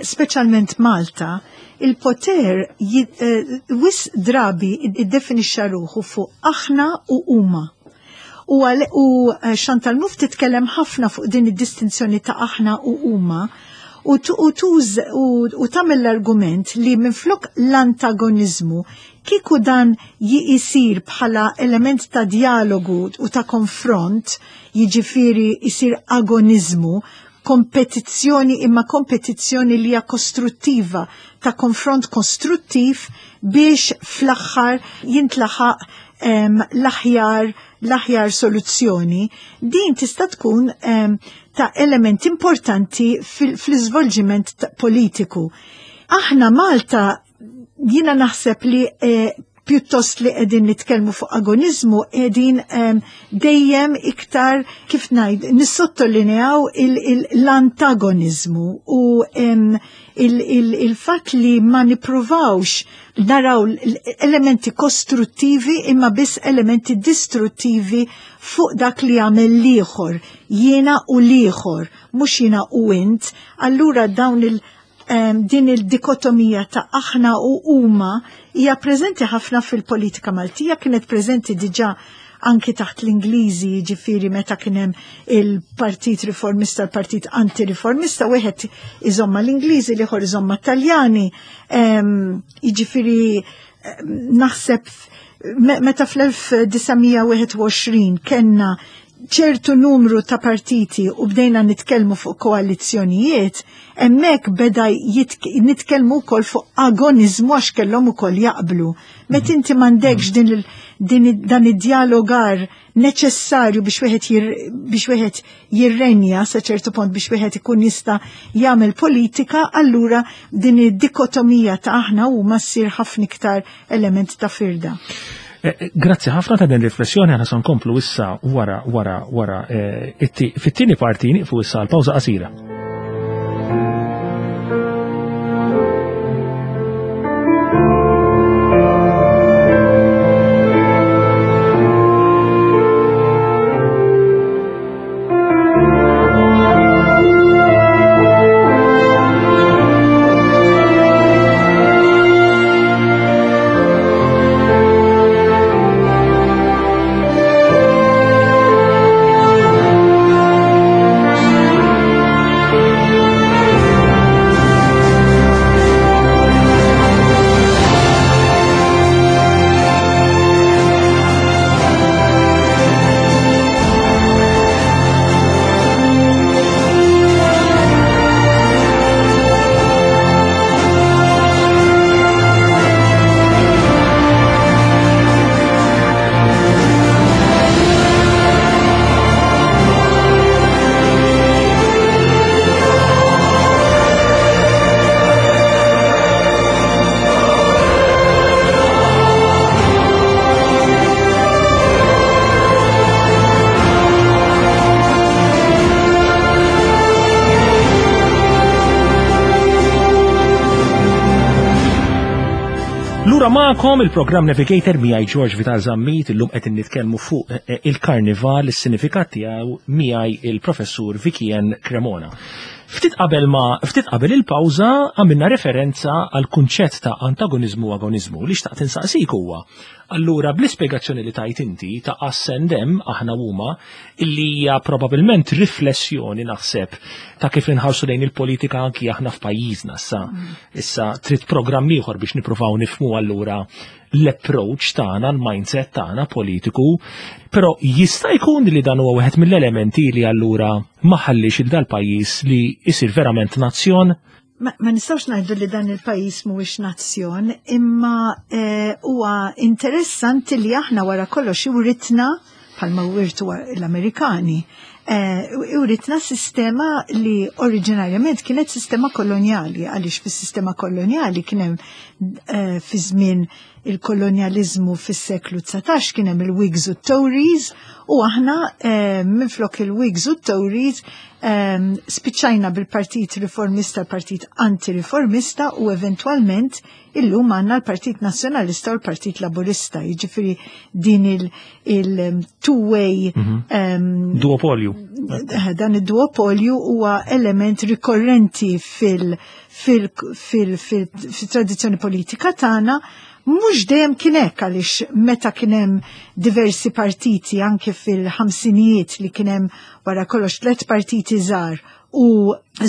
speċjalment Malta, il-poter wis drabi iddefinixxa ruħu fuq aħna u huma. U Chantal Mouffe titkellem ħafna fuq din id-distinzjoni ta' aħna u huma u tagħmel l-argument li minflok l-antagonizmu kieku dan jisir bħala element ta' dialogu u ta' konfront, jiġifieri jisir agonizmu, kompetizzjoni imma kompetizzjoni li hija kostruttiva, ta' konfront kostruttiv biex fl-aħħar jintlaħaq l-aħjar l-aħjar soluzzjoni, din tista' tkun ta' element importanti fl-iżvolġiment politiku. Aħna Malta jiena naħseb li pjuttost li qegħdin nitkellmu fuq agonizmu qegħdin dejjem iktar kif ngħid nissottolineaw l-antagonizmu u il-fatt li ma nippruvawx naraw elementi kostruttivi imma biss elementi distruttivi fuq dak li jagħmel l-ieħor, jiena u l-ieħor, mhux jiena u int. Allura dawn il- din il-dikotomija ta' aħna u huma hija preżenti ħafna fil-politika Maltija, kienet preżenti diġà anki taħt l-Ingliżi, jiġifieri meta kien hemm il-Partit Riformista, l-Partit Anti-Riformista, wieħed iżomma l-Ingliżi, l-ieħor iżomma Taljani. Jiġifieri naħseb meta fl-elf disa' mija wieħed u għoxrin kellna ċertu numru ta' partiti u bdejna nitkellmu fuq koalizzjonijiet, hemmhekk beda nitkellmu wkoll fuq agonizmu għax kellhom ukoll jaqblu. Meta inti m'għandekx din il, din dan id-dialogar neċessarju biex wieħed biex wieħed jirrenja sa ċertu punt biex wieħed ikun jista' jagħmel politika, allura din id-dikotomija ta' aħna huma ssir ħafna iktar element ta' firda. Grazzi ħafna ta' din riflessjoni, aħna se nkomplu issa wara wara wara fit-tieni parti nieqfu issa għal pawża qasira. Ma'kom il-programm Navigator miegħi George Vital Zammit, illum qed nitkellmu fuq il-karnival, is-sinifikat tiegħu miegħi il-professur Vicky-Ann Cremona. Ftit qabel ma ftit qabel il-pawża għamilna referenza għal kunċett ta' antagonizmu u agonizmu li xtaqt insaqsik huwa Allura, bl-ispjegazzjoni li tajt inti ta' us and them, aħna huma, illi hija probabbilment riflessjoni, naħseb, ta' kif inħarsu lejn il-politika anki aħna f'pajjiżna issa. Issa trid programm ieħor biex nippruvaw nifhmu allura l-approach tagħna, l-mindset tagħna politiku, però jista' jkun li dan huwa wieħed mill-elementi li allura ma ħallix il dal-pajjiż li jsir verament nazzjon. Ma, ma nistgħux ngħidu li dan il-pajjiż mhuwiex nazzjon, imma eh, huwa interessanti li aħna wara kollox iwritna, bħalma wirtu l-Amerikani, eh, iwritna sistema li oriġinarjament kienet sistema kolonjali, għaliex fis-sistema kolonjali kien hemm eh, fi żmien il-kolonjalizmu fis-seklu dsatax kien hemm il-Whigs u Tories u aħna eh, minflok il-Whigs u Tories eh, spiċċajna bil-Partit Riformista, l-Partit Anti-Riformista u eventualment illum għandna l-Partit Nazzjonalista u l-Partit Laburista. Jiġifieri din il-two-way mm -hmm. duopolju. Dan id-duopolju huwa element rikorrenti fil- fil-tradizzjoni politika tagħna. Mhux dejjem kien hekk, għaliex meta kien hemm diversi partiti anke fil-ħamsinijiet, li kien hemm wara kollox tliet partiti żgħar u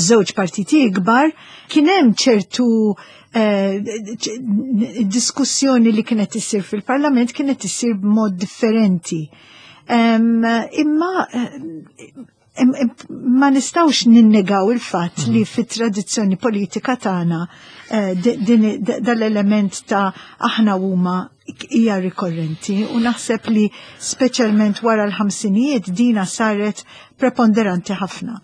żewġ partiti ikbar, kien hemm ċertu eh, diskussjoni li kienet issir fil-parlament kienet issir b'mod differenti. Imma ma nistgħux ninnegaw il-fatt li mhm. fit-tradizzjoni politika tagħna eh, dal-element ta' aħna huma hija rikorrenti u naħseb li speċjalment wara l-ħamsinijiet dina saret preponderanti ħafna.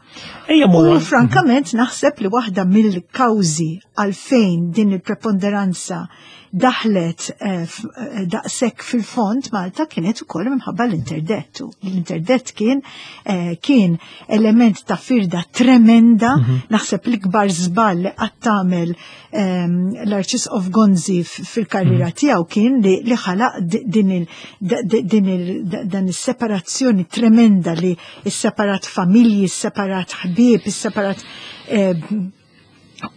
U frankament naħseb li waħda mill-kawżi għalfejn din il-preponderanza daħlet eh, eh, daqshekk fil-fond Malta kienet ukoll minħabba l-interdettu. L-interdett kien eh, kien element ta' firda tremenda, mhm. naħseb l-ikbar żball li qatt tagħmel ehm, l-Arċisqof Gonzi fil-karriera mhm. tiegħu kien li ħalaq din dan is-separazzjoni tremenda li isseparat familji, isseparat ħbieb, isseparat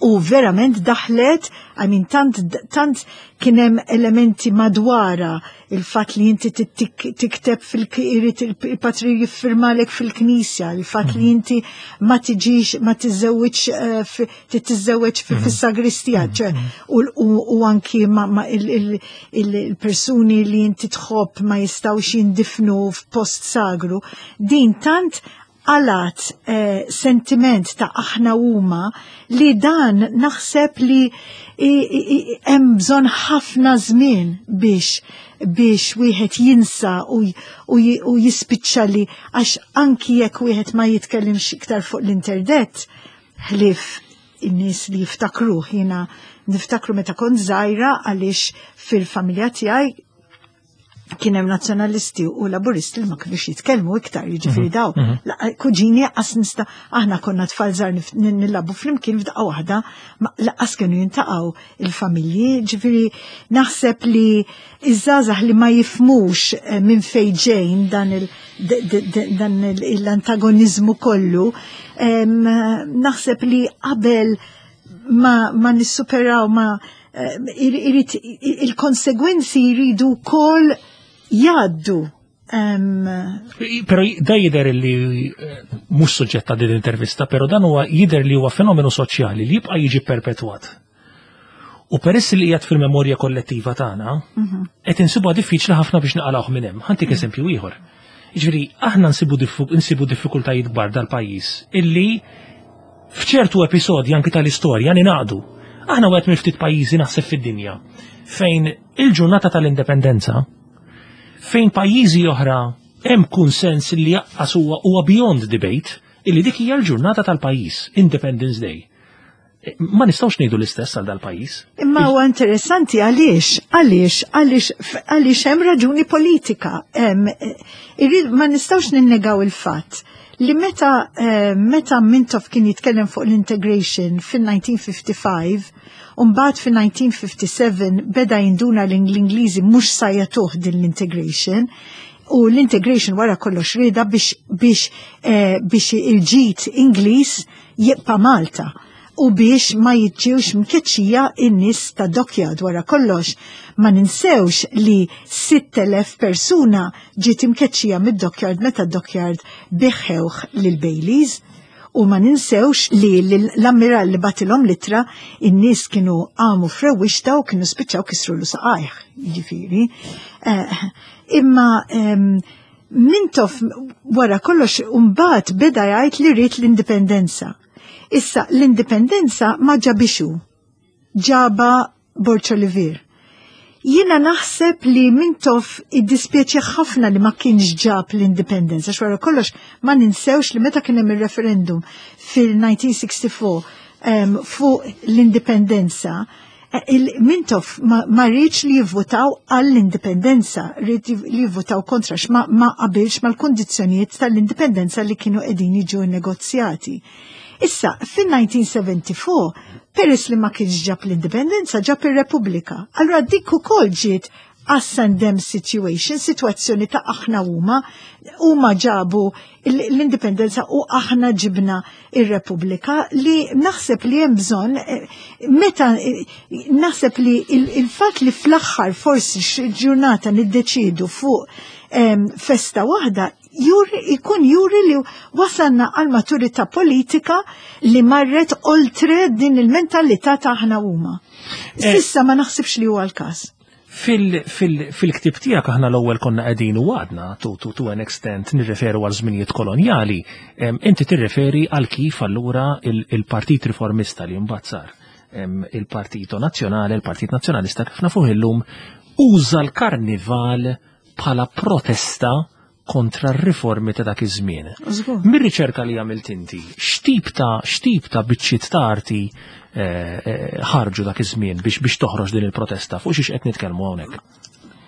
u verament daħlet, I mean, tant, tant kien hemm elementi madwara il-fat li inti tikteb fil-irid il-patri jiffirmalek fil-knisja, il-fat li inti ma tiġix, ma tiżżewġ, eh, titiżżewġ mhm. fis-sagristija, mhm. u anki ma il-persuni li inti tħobb ma jistgħux jindifnu f'post sagru. Din tant għalat eh, sentiment ta' aħna huma li dan naħseb li hemm bżonn ħafna żmien biex biex wieħed jinsa u, u, u jispiċċa li, għax anki jekk wieħed ma jitkellimx iktar fuq l-interdett, ħlif in-nies li jiftakruh. Jiena niftakru meta kont żgħira, għaliex fil-familja tiegħi kien hemm nazzjonalisti u laburisti li ma kinux jitkellmu iktar, jiġifieri mhm, daw. Mhm. Kuġini qas nista', aħna konna tfal żgħar nilagħbu flimkien, f'daqqa waħda lanqas kienu jiltaqgħu il-familji, ġifieri naħseb li iż-żgħażagħ li ma jifhmux eh, minn fejn ġejn dan l-antagonizmu kollu, naħseb li qabel ma, ma nissuperaw ma eh, il-konsegwenzi jridu kol jgħaddu. Pero da jidher li eh, mhux suġġett ta' din l-intervista, pero dan huwa jidher li huwa fenomenu soċjali li jibqa' jiġi perpetwat. U peress li qiegħed fil-memorja kollettiva tagħna, mhm. qed insibuha diffiċli ħafna biex naqalgħuh minn hemm. Ħa ntik eżempju ieħor. Jiġifieri aħna nsibu nsibu diffikultajiet kbar dal-pajjiż illi f'ċertu episodji anki tal-istorja ningħaqdu. Aħna wieħed mill ftit pajjiżi, naħseb, fid-dinja fejn il-ġurnata tal-indipendenza, fejn pajjiżi oħra hemm kunsens li jaqqas huwa huwa beyond debate illi dik hija l-ġurnata tal-pajjiż, Independence Day. Ma nistgħux ngħidu l-istess għal dal-pajjiż. Imma huwa interessanti għaliex, għaliex, għaliex, għaliex hemm raġuni politika. Ma nistgħux ninnegaw il-fatt li meta eh, meta Mintoff kien jitkellem fuq l-integration fil-elf disa' mija u ħamsa u ħamsin, Umbagħad fil-elf disa' mija u ħamsa u sebgħin beda jinduna l-Ingliżi mhux sa jagħtuh din l-integration, u l-integration wara kollox rieda biex biex eh, biex il-ġid Ingliż jibqa' Malta. U biex ma jiġġiwx mkeċċija in-nies ta' Dockyard. Wara kollox, ma ninsewx li sitt elef persuna ġiet imkeċċija mid-Dockyard meta Dockyard biegħuh lil Baileys. U ma ninsewx li l-ammiral li bagħtilhom l-ittra, in-nies kienu għamu frewwixta u kienu spiċċaw kisru l saqajh, ġifieri. Eh, imma Mintoff wara kollox mbagħad beda jgħid li rrid l-indipendenza. Issa l-indipendenza ma ġabhiex hu, ġabha Borg Olivier. Jiena naħseb li Mintoff iddispjaċih ħafna li ma kienx ġab l-indipendenza, x'wara kollox ma ninsewx li meta kien hemm il-referendum fil-elf disa' mija u sitta u sittin um, fuq l-indipendenza, eh, il-Mintoff ma, ma riedx li jivvotaw għall-indipendenza, ried li jivvotaw kontra, ma, ma qabilx mal-kondizzjonijiet tal-indipendenza li kienu qegħdin jiġu negozjati. Issa, fil-elf disa' mija u erbgħa u sebgħin, peress li ma kienx ġab l-indipendenza, ġab ir-Repubblika. Allora dik ukoll ġiet us and them situation, situazzjoni ta' aħna huma, huma ġabu l-indipendenza u aħna ġibna ir-Repubblika, li naħseb li hemm bżonn eh, meta eh, naħseb li il-fatt li fl-aħħar forsi ġurnata niddeċidu fuq festa waħda juri, ikun juri li wasalna għal maturità politika li marret oltre din il-mentalità ta' aħna huma. Eh. S'issa ma naħsibx li huwa l-każ. Fil-ktib tiegħek aħna l-ewwel konna qegħdin u għadna to, to, to an extent nirreferu għal żminijiet kolonjali. Inti tirreferi għal kif allura il-Partit Riformista li mbagħad sar il-Partito Nazzjonali, il-Partit Nazzjonalista kif nafuh illum, uża l-karnival bħala protesta kontra r-riformi ta' dak iż-żmien. Mir-riċerka li għamilt inti, x'tip ta' x'tip ta' biċċiet ta' arti eh, eh, ħarġu dak iż-żmien biex biex toħroġ din il-protesta? Fuq xiex qed nitkellmu hawnhekk?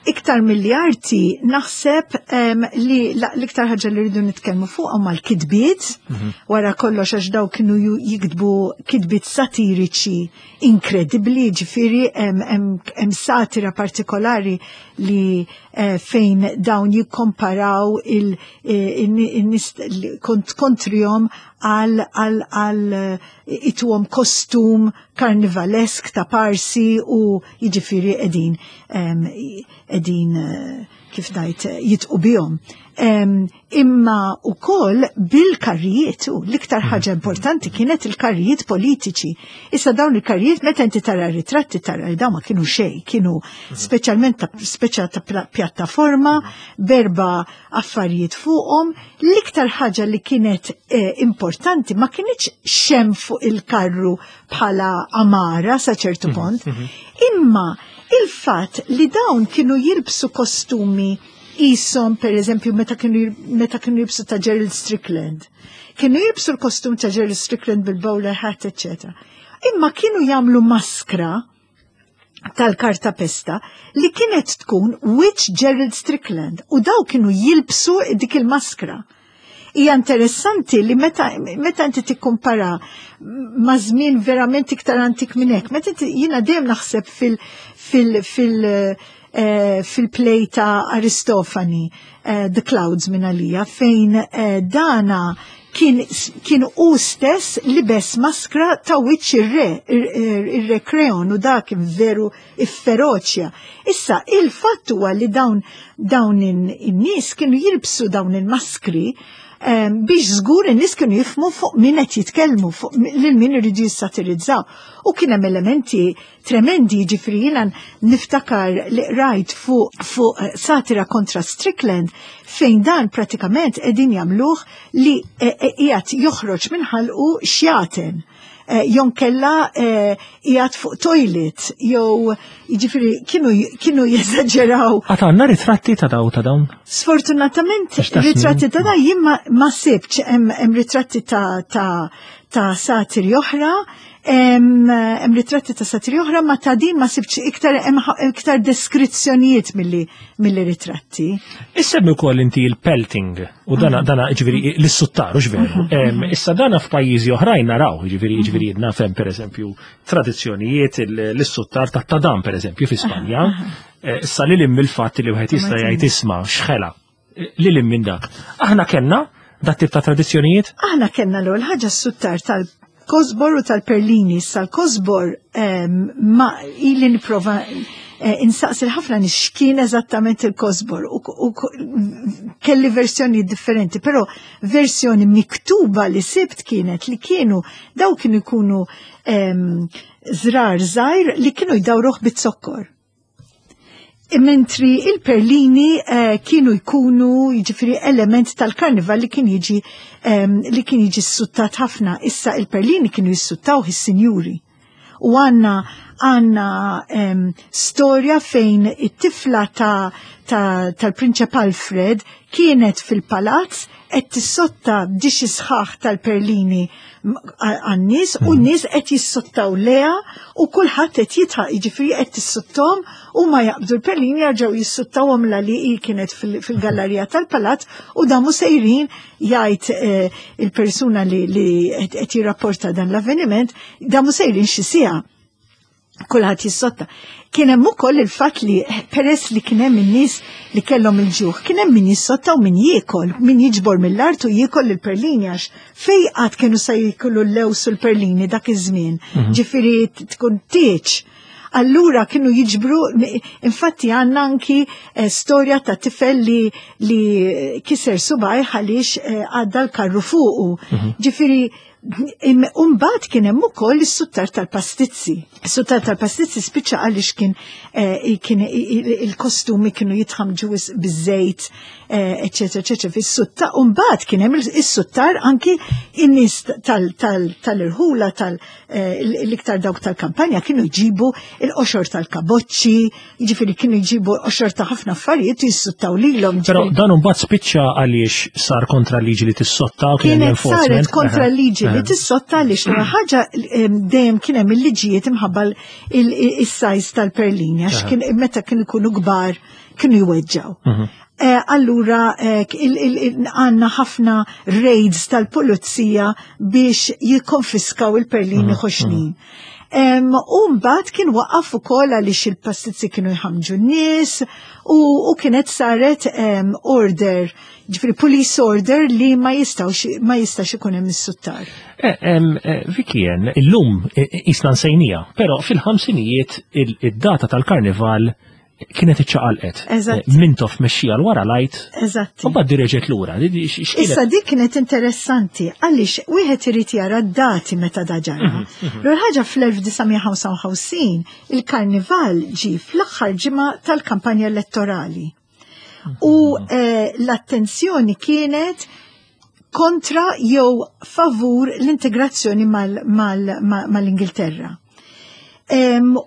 Iktar mill arti naħseb li l-iktar ħaġa li rridu nitkellmu fuq huma l-kitbiet, mhm. wara kollox għax daw kienu jiktbu kitbiet satiriċi inkredibbli, ġifieri hemm satira partikolari li eh, fejn dawn jikkomparaw il-nies kontrihom għal għal ituhom kostum karnivalesk ta' parsi u jiġifieri qegħdin qegħdin eh, kif ngħid, jidħqu bihom. Imma ukoll bil-karrijiet, u l-iktar ħaġa importanti kienet il-karrijiet politiċi. Issa dawn il-karrijiet, meta inti tara ritratti, tara li dawn ma kienu xej, kienu speċjalment ta' speċa ta' pjattaforma, b'erba' affarijiet fuqhom. L-iktar ħaġa li kienet eh, importanti ma kienx x'hemm fuq il-karru bħala amara sa ċertu mhm, punt, mhm. imma il-fatt li dawn kienu jilbsu kostumi jisom, per eżempju, meta kienu meta kienu jilbsu ta' Gerald Strickland. Kienu jilbsu l-kostum ta' Gerald Strickland bil-bowler hat, eccetera. Imma kienu jagħmlu maskra tal-karta pesta li kienet tkun wiċċ Gerald Strickland u daw kienu jilbsu dik il-maskra. Hija interessanti li meta, meta inti tikkumpara ma' żmien verament iktar antik minn hekk, meta inti, jiena dejjem naħseb fil fil fil eh, fil-play ta' Aristofani, eh, The Clouds minn għalija, fejn eh, dana kien, kien u stess libes maskra ta' wiċċ ir-re, ir-re Kreon, u dak kien veru ifferoċja. Issa, il-fatt huwa li dawn dawn in-nies kienu jilbsu dawn il-maskri em, biex żgur in-nies kienu jifhmu fuq min qed jitkellmu, fuq lil min iridu jissatirizzaw. U kien hemm elementi tremendi, ġifieri jiena niftakar li rajt fuq fuq satira kontra Strickland fejn dan pratikament qegħdin jagħmluh li qiegħed joħroġ minn ħalqu xjaten. Eh, Jonkella qiegħed fuq toilet, jew jiġifieri kienu kienu jeżaġeraw. Għad għandna ritratti ta' daw ta' dawn? Sfortunatament Għax ta' ritratti snin. Ta' da jien ma, ma sibx, hemm hemm ritratti ta' ta' ta' satiri oħra, hemm hemm ritratti ta' satiri oħra, ma ta' din ma sibx, iktar hemm ħa- iktar deskrizzjonijiet milli milli ritratti. Issemmi wkoll inti il-pelting u dana dana ġifieri l-suttar, u veru. Em, Issa dana f'pajjiżi oħrajn naraw, ġifieri ġifieri nafhem pereżempju tradizzjonijiet l-suttar ta' tadam pereżempju fi Spanja. Eh, Issa li lim il-fatt li wieħed jista' jgħid isma' xħela. Li lim minn dak. Aħna kellna dat tip ta' tradizzjonijiet? Aħna kellna l-ewwel ħaġa s-suttar tal Tal-kosbor u tal-perlini. Issa l-kosbor ma ili nipprova eh, insaqsi ħafna nies x'kien eżattament il-kosbor u, u kelli versjoni differenti, però versjoni miktuba li sibt kienet li kienu daw kienu jkunu żrar żgħir li kienu jdawruh bit-zokkor. Mentri il-perlini eh, kienu jkunu, jiġifieri, element tal-karnival li kien jiġi um, li kien jiġi ssuttat ħafna. Issa il-perlini kienu jissuttaw is-sinjuri. U għandna għandna um, storja fejn it-tifla ta' ta, tal-Prinċep Alfred kienet fil-palazz qed tissotta dixx sħaħ tal-perlini għan-nies u n-nies qed jissottaw leha u kulħadd qed jidħaq, jiġifieri qed tissottom u ma jaqbdu l-perlini, jarġgħu jissottawhom la li hi kienet fil-gallerija tal-palazz u damu sejrin, jgħid eh, il-persuna li qed jirrapporta dan l-avveniment, damu sejrin xi siegħa kulħadd jissotta. Kien hemm ukoll il-fatt li peress li kien hemm in-nies li kellhom il-ġuħ, kien hemm min jissotta u min jiekol, min jiġbor mill-art u jiekol il-perlini, għax fej qatt kienu se jieklu l-lews u l-perlini dak iż-żmien? Mhm. Ġifieri tkun tieċ. Allura kienu jiġbru, infatti għandna anki eh, storja ta' tifel li, li kiser subgħajh għaliex eh, għadda l-karru fuqu. Mhm. Ġifieri Umbagħad kien hemm ukoll is-suttar tal-pastizzi. Is-suttar tal-pastizzi spiċċa għaliex kien eh, kien il-kostumi kienu jitħamġu biż-żejt, eċetera, eċetera, fis-sutta. Umbagħad kien hemm is-suttar anki in-nies tal-irħula, tal-iktar dawk tal-kampanja kienu jġibu il-qoxor tal-kaboċċi, jiġifieri kienu jġibu qoxor ta' ħafna affarijiet u jissuttaw lilhom. Però dan imbagħad spiċċa għaliex sar kontra liġi li tissotta u kien Kienet saret kontra liġi li tissotta għaliex ħaġa dejjem kien hemm il-liġijiet imħabba il-size tal-perlini, għax kien meta kienu jkunu kbar kienu jweġġaw. Mhm. Eh, allura eh, għandna ħafna raids tal-pulizija biex jikkonfiskaw il-perlini mhm, ħoxnin. Mhm. U mbagħad kien waqaf ukoll għaliex il-pastizzi kienu jħamġu n-nies u, u kienet saret um, order, ġifieri police order li ma jistawx ma jistax ikun hemm is-suttar. Eh, eh, Vicky, illum isna nsejnija, però fil-ħamsinijiet id-data tal-karnival kienet iċċaqalqet. Eżatt. Mintoff mexxija l wara lajt. Eżatt. U bad reġgħet lura. Issa dik kienet interessanti għaliex wieħed irid jara d-dati meta da ġara. Mhm, mhm. L ħaġa, fl-elf disa' mija ħamsa u ħamsin il-karnival ġi fl-aħħar ġimgħa tal-kampanja elettorali. U mhm. eh, l-attenzjoni kienet kontra jew favur l-integrazzjoni mal-Ingilterra.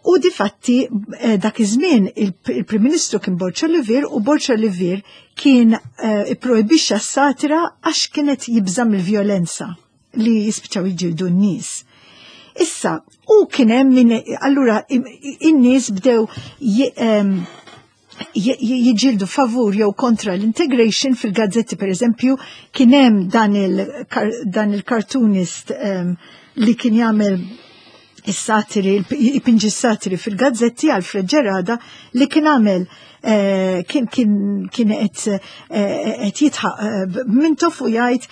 U difatti eh, dak iż-żmien il-Prim Ministru kien Borg Olivier u Borg Olivier kien eh, ipprojbixxa s-satira għax kienet jibża' mill-vjolenza li jispiċċaw jiġġieldu n-nies. Issa, u kien hemm min allura in-nies bdew jiġġieldu favur jew kontra l-integration fil-gazzetti. Per eżempju, kien hemm dan il-cartoonist li kien jagħmel is-satiri, ipinġi s-satiri fil-gazzetti, Alfred Gerada, li kien għamel eh, kien kien kien qed eh, qed jidħaq eh, Mintoff u jgħid,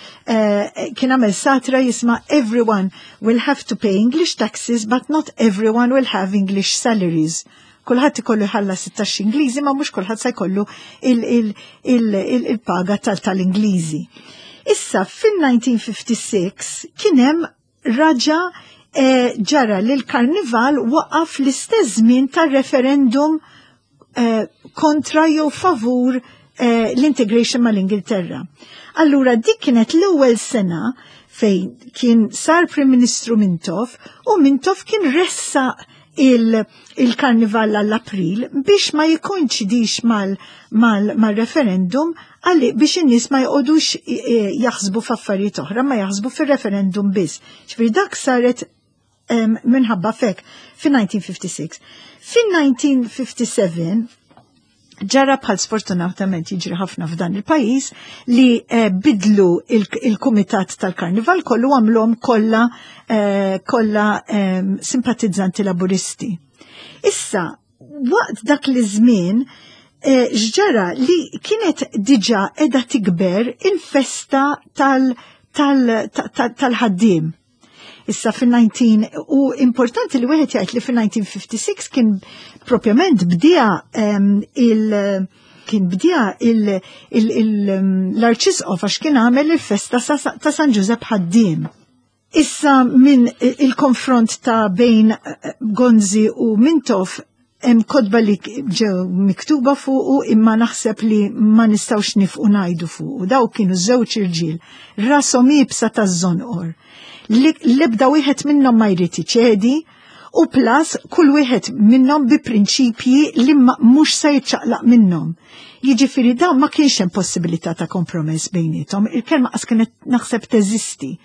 kien għamel satira jisma' "Everyone will have to pay English taxes, but not everyone will have English salaries." Kulħadd ikollu jħallas it-taxxi Ingliżi, ma mhux kulħadd se jkollu il-paga tal-Ingliżi. Issa fil-elf disa' mija ħamsa u ħamsin kien hemm raġa eh, ġara li l-karnival waqaf l-istess żmien tar-referendum eh, kontra jew favur eh, l-integration mal-Ingilterra. Allura dik kienet l-ewwel sena fejn kien sar Prim Ministru Mintoff u Mintoff kien ressa il-karnival għall-April biex ma jikkoinċidix mal-referendum, għalli biex in-nies ma jqogħdux jaħsbu f'affarijiet oħra, ma jaħsbu fir-referendum biss. Ġifieri dak saret minħabba fek fin-elf disa' mija ħamsa u ħamsin. Fin-elf disa' mija ħamsa u sebgħin ġara, bħal sfortunatament jiġri ħafna f'dan il-pajjiż, li eh, bidlu il-kumitat tal-karnival kollu, għamlhom kollha eh, kollha eh, simpatizzanti laburisti. Issa, waqt dak li żmien eh, x'ġara li kienet diġà edha tikber il-festa tal-ħaddiem. Issa fin-nineteen u importanti li wieħed jgħid li fin-nineteen fifty-six kien propjament bdija il- kien bdija l-Arċisqof għax kien għamel il-festa ta' San Ġużepp Ħaddiem. Issa minn il-konfront ta' bejn Gonzi u Mintoff, hemm kotba li ġew miktuba fuqu, imma naħseb li ma nistgħux nifqu ngħidu fuqu. Daw kienu żewġ irġiel, rashom iebsa taż-żonqor. L-ebda wieħed minnhom ma jrid iċedi u plus kull wieħed minnhom bi prinċipji li mhux se jiċċaqlaq minnhom. Jiġifieri dawn ma kienx hemm possibilità ta' kompromess bejniethom, il-kelma qas kienet naħseb teżisti.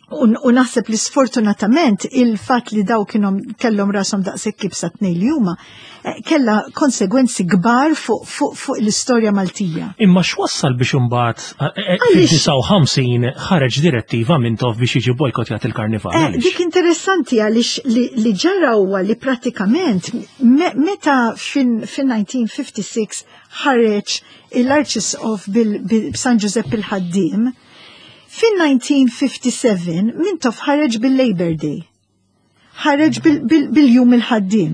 U naħseb li sfortunatament il-fat li daw kienu kellhom rashom daqshekk iebsa tnejn li huma eh, kella konsegwenzi kbar fuq fu, fu l-istorja Maltija. Imma x'wassal biex imbagħad eh, eh, fil-disgħa u ħamsin ħareġ direttiva Mintoff biex jiġi bojkotjat il-karnival? Eh, dik interessanti għaliex li, li ġara huwa li pratikament meta fin-nineteen fifty-six ħareġ l-Arċisqof bil-San Giuseppe il-Ħaddiem, fin-nineteen fifty-seven Mintoff ħareġ bil-Labor Day. Ħareġ bil-jum il-ħaddiem.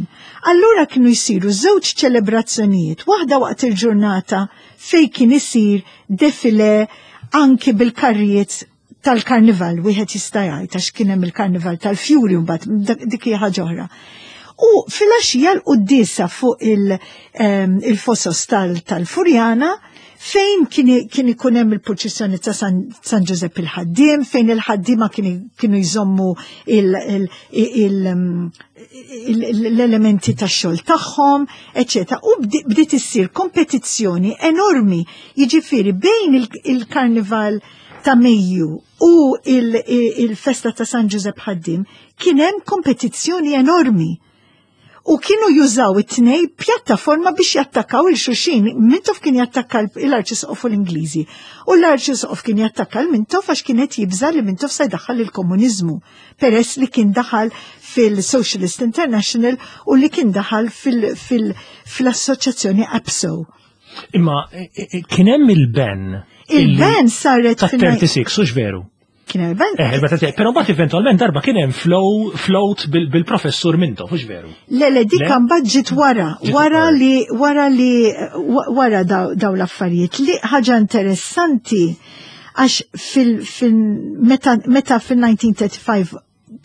Allura kienu jisiru żewġ ċelebrazzjonijiet, waħda waqt il-ġurnata fej kien isir defile anki bil-karrijiet tal-karnival, wieħed jista' jgħid għax kien hemm il-karnival tal-fjuri mbagħad, dik hija ħaġa oħra. U fil-għaxija l-quddiesa fuq il-fosos tal-Furjana fejn kien ikun hemm il-purċissjoni ta' San Ġużepp il-Ħaddiem, fejn il-ħaddiema kienu jżommu l-elementi tax-xogħol tagħhom, eċetera. U bdiet issir kompetizzjoni enormi, jiġifieri bejn il-karnival ta' Mejju u il-festa ta' San Ġużepp Ħaddiem kien hemm kompetizzjoni enormi u kienu jużaw it-tnej pjattaforma biex jattakkaw lil xulxin. Mintoff kien jattakka l-Arċisqof u l-Ingliżi. U l-Arċisqof kien jattakka l-Mintoff għax kienet jibża li Mintoff se jdaħħal il-komuniżmu, peress li kien daħal fil-Socialist International u li kien daħal fil-assoċjazzjoni APSO. Imma kien hemm il-ban. Il-ban saret ta' tlieta u tletin, hux veru? Kien hemm il-ban. Eh, però mbagħad eventwalment darba kien hemm flow float bil-professur Mintoff, hux veru? Le, le, dik mbagħad ġiet wara, wara li wara li wara daw l-affarijiet. Li ħaġa interessanti għax fil, fil meta, meta fil-nineteen thirty-five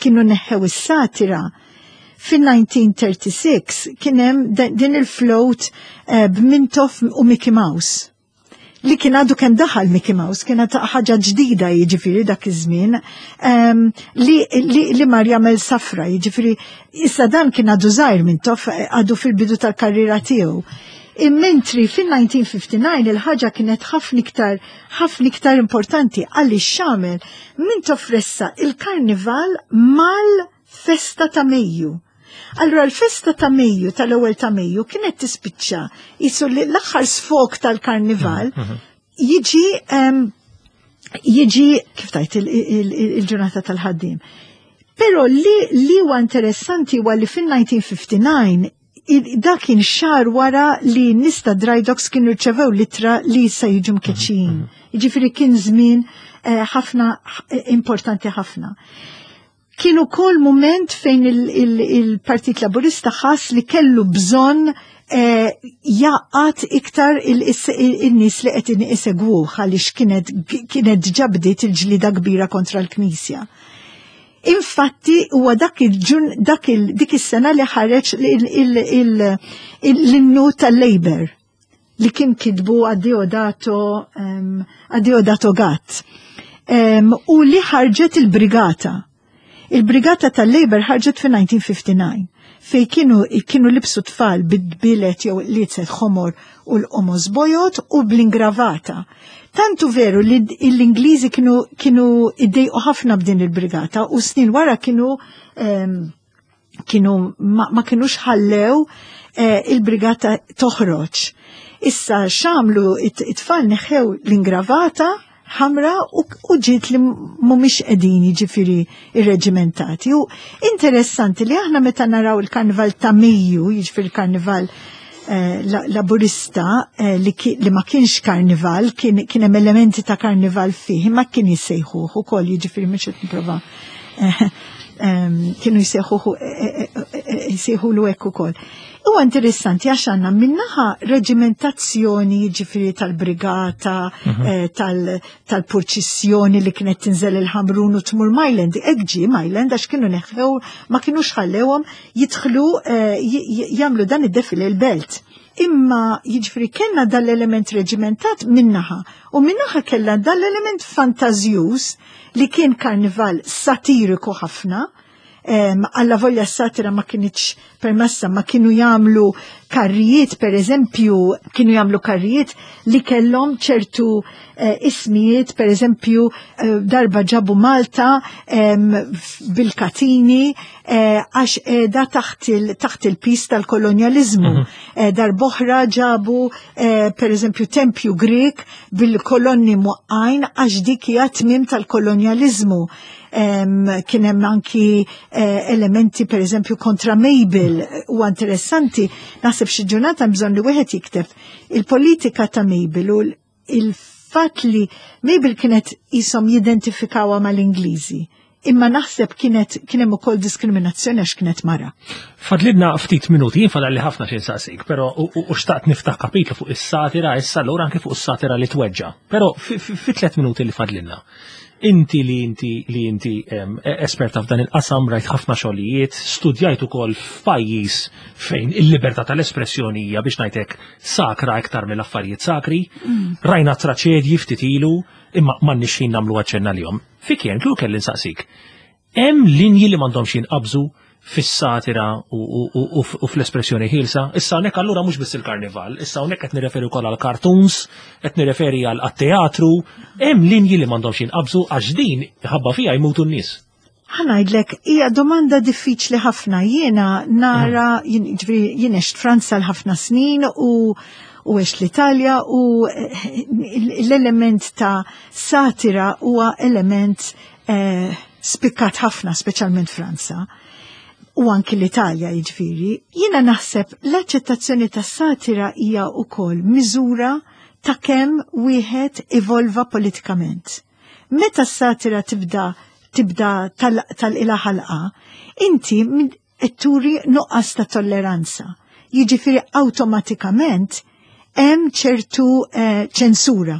kienu neħħew is-satira, fil-nineteen thirty-six kien hemm din il-float eh, b'Mintoff u Mickey Mouse li kien għadu kemm daħal Mickey Mouse, kienet ħaġa ġdida jiġifieri dak iż-żmien, um, li, li, li mar jagħmel safra, jiġifieri issa dan kien għadu żgħir Mintoff, għadu fil-bidu tal-karriera tiegħu. Immentri fil-nineteen fifty-nine il-ħaġa kienet ħafna iktar ħafna iktar importanti għaliex x'għamel Mintoff? Ressaq il-karnival mal-festa ta' Mejju. Allura l-festa ta' Mejju, tal-ewwel ta' Mejju, kienet tispiċċa jisu li l-aħħar sfok tal-karnival jiġi jiġi kif tajt il-ġurnata tal-ħaddiem. Però li li huwa interessanti huwa li fil-nineteen fifty-nine dak kien xahar wara li nies ta' Drydocks kienu rċevew litra li se jiġu mkeċċijin. Jiġifieri kien żmien eh, ħafna importanti ħafna. Kien ukoll moment fejn il-Partit Laburista ħass li kellu bżonn eh, jgħaqqad iktar il-nies li qed isegwuh għaliex kienet kienet diġà bdiet il-ġlida kbira kontra l-Knisja. Infatti huwa dak il-ġun dak il dik is-sena li ħareġ l-innu tal-Labor li kien kitbu Adeodato um, Adeodato Gatt. Um, u li ħarġet il-brigata. Il-brigata tal-Labor ħarġet fi nineteen fifty-nine fej kienu, kienu libsu tfal bid-bilet jew liezet ħomor u l-qomos bojod u bl-ingravata. Tantu veru li l-Ingliżi kienu, kienu iddejqu ħafna b'din il-brigata u snin wara kienu um, kienu ma, ma kienux ħallew eh, il-brigata toħroġ. Issa x'għamlu it-tfal? Neħew l-ingravata ħamra u, u ġiet li mhumiex qegħdin jiġifieri irreġimentati. U interessanti li aħna meta naraw il-karnival ta' Mejju, jiġifieri il-karnival eh, laburista eh, li, li ma kienx karnival, kien, kien hemm elementi ta' karnival fih, ma kien jissejħuh ukoll, jiġifieri mhux qed nipprova eh, kienu jsejħuh jsejħulu hekk ukoll. Huwa interessanti għax għandna minnaħa reġimentazzjoni, ġifieri tal-brigata, mhm. tal-purċissjoni li kienet tinżel il-Ħamrun u tmur Mile End. Hekk ġie Mile End għax kienu neħħew, ma kienux ħallewhom jidħlu jagħmlu dan id-defile l-belt. Imma jiġifieri kellna dal-element reġimentat minnaħa u minnaħa kellna dal-element fantażjuż li kien karnival satiriku ħafna, alla volja satira ma kinitx permessa, ma kienu jagħmlu karrijiet, per eżempju, kienu jagħmlu karrijiet li kellhom ċertu eh, ismijiet, per eżempju, eh, darba ġabu Malta bil-katini eh, għax da taħt il-pis tal-kolonjalizmu. Mm -hmm. Darb'oħra ġabu, per eżempju, tempju Grek bil-kolonni muqqajn għax dik hija tmiem tal-kolonjalizmu. Kien hemm anki elementi, per eżempju, kontra Mabel. U interessanti, naħseb xi ġurnata bżonn li wieħed jikteb il-politika ta' Mabel u il-fatt li Mabel kienet jisom jidentifikawha mal-Ingliżi. Imma naħseb kienet kien hemm ukoll diskriminazzjoni għax kienet mara. Fadlilna ftit minuti, jien fadalli ħafna xi nsaqsik, però u xtaqt niftaħ kapitlu fuq is-satira issa allura anke fuq is-satira li tweġġa. Però fi tliet minuti li fadlilna. Inti li inti li inti esperta f'dan il-qasam, rajt ħafna xogħlijiet, studjajt ukoll f'pajjiż fejn il-libertà tal-espressjoni hija, biex ngħidlek, sakra iktar mill-affarijiet sakri, mm. rajna traċedji ftit ilu, imma m'għandniex ħin nagħmlu aċċenna lihom. Fikjen, kieku kelli nsaqsik. Hemm linji li m'għandhomx jinqabżu fis-satira u fl-espressjoni ħielsa? Issa hawnhekk allura mhux biss il-karnival, issa hawnhekk qed nirreferi wkoll għal cartoons, qed nirreferi għal teatru, hemm linji li m'għandhomx jinqabżu għax din ħabba fiha jmutu n-nies. Ħa ngħidlek, hija domanda diffiċli ħafna. Jiena nara, jien għext Franza l-ħafna snin u u għext l-Italja u eh, l-element ta' satira huwa element eh, spikkat ħafna, speċjalment Franza u anki l-Italja jiġifieri. Jiena naħseb l-aċċettazzjoni ta' satira hija wkoll miżura ta' kemm wieħed evolva politikament. Meta s-satira tibda tibda tal-ila ħalqa, inti turi nuqqas ta' tolleranza. Jiġifieri awtomatikament hemm ċertu eh, ċensura.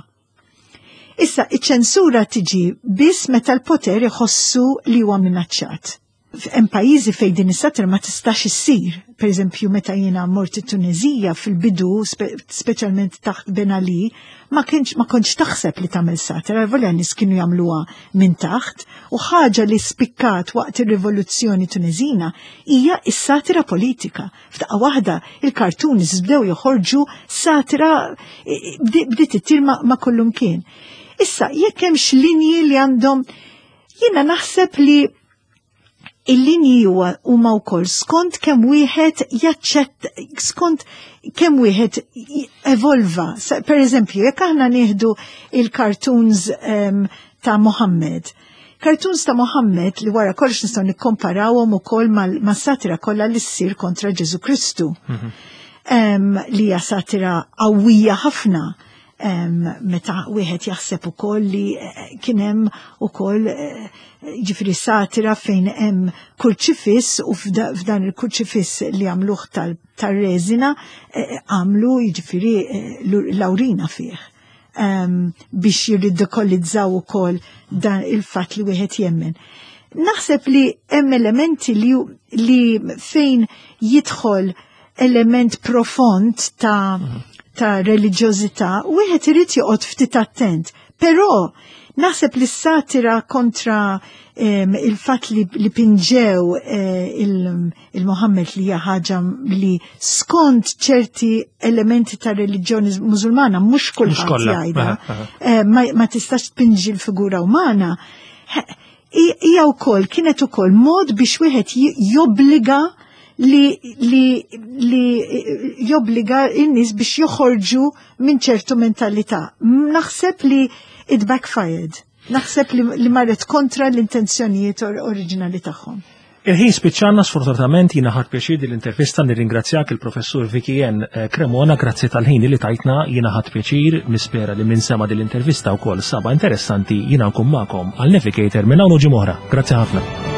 Issa, iċ-ċensura tiġi biss meta l-poter iħossu li huwa minaċċat. Hemm pajjiżi fejn din is-satira ma tistax issir. Per eżempju, meta jiena mort it-Tunezija fil-bidu, speċjalment taħt Ben Ali, ma kienx ma kontx taħseb li tagħmel satira, volja nies kienu jagħmluha minn taħt, u ħaġa li spikkat waqt ir-rivoluzzjoni Tunezina hija s-satira politika. F'daqqa waħda il-cartoons bdew joħorġu satira, bdiet ittir ma, ma kullum kien. Issa, jekk hemmx linji li għandhom, jiena naħseb li il-linji huwa huma wkoll skont kemm wieħed jaċċett, skont kemm wieħed evolva. Per eżempju, jekk aħna nieħdu il-cartoons um, ta' Mohammed. Cartoons ta' Mohammed li wara kollox nistgħu nikkomparawhom ukoll mas-satira kollha li ssir kontra Ġesu Kristu. Mm -hmm. um, li hija satira qawwija ħafna. Um, meta wieħed jaħseb ukoll li eh, kien hemm ukoll eh, ġifieri satira fejn hemm kurċifiss u f'dan il-kurċifiss li għamluh tal-reżina eh, għamlu jiġifieri l-awrina fih um, biex jirridikolizzaw ukoll dan il-fatt li wieħed jemmen. Naħseb li hemm elementi li, li fejn jidħol element profond ta' mm -hmm. ta' reliġjożità, wieħed irid joqgħod ftit attent. Però naħseb li s-satira kontra um, il-fatt li, li pinġew eh, il-Mohammed, il li hija ħaġa li skont ċerti elementi ta' reliġjoni mużulmana mhux kulħadd jgħidha, eh, ma, ma tistax tpinġi l-figura umana. Hija wkoll kienet ukoll mod biex wieħed jobbliga li, li, li jobbliga n-nies biex joħorġu minn ċertu mentalità. Naħseb li it backfired. Naħseb li, li marret kontra l-intenzjonijiet or oriġinali tagħhom. Il-ħin spiċċana sfortunatament. Jiena ħadt pjaċir din l-intervista. Nirringrazzjak, il-professur Vicky N. Cremona, grazzi tal-ħin li tajtna. Jiena ħadt pjaċir, nispera li min sema' din l-intervista wkoll sabha interessanti. Jiena nkun magħkom għal Navigator minn hawn u ġimgħa oħra. Grazzi ħafna.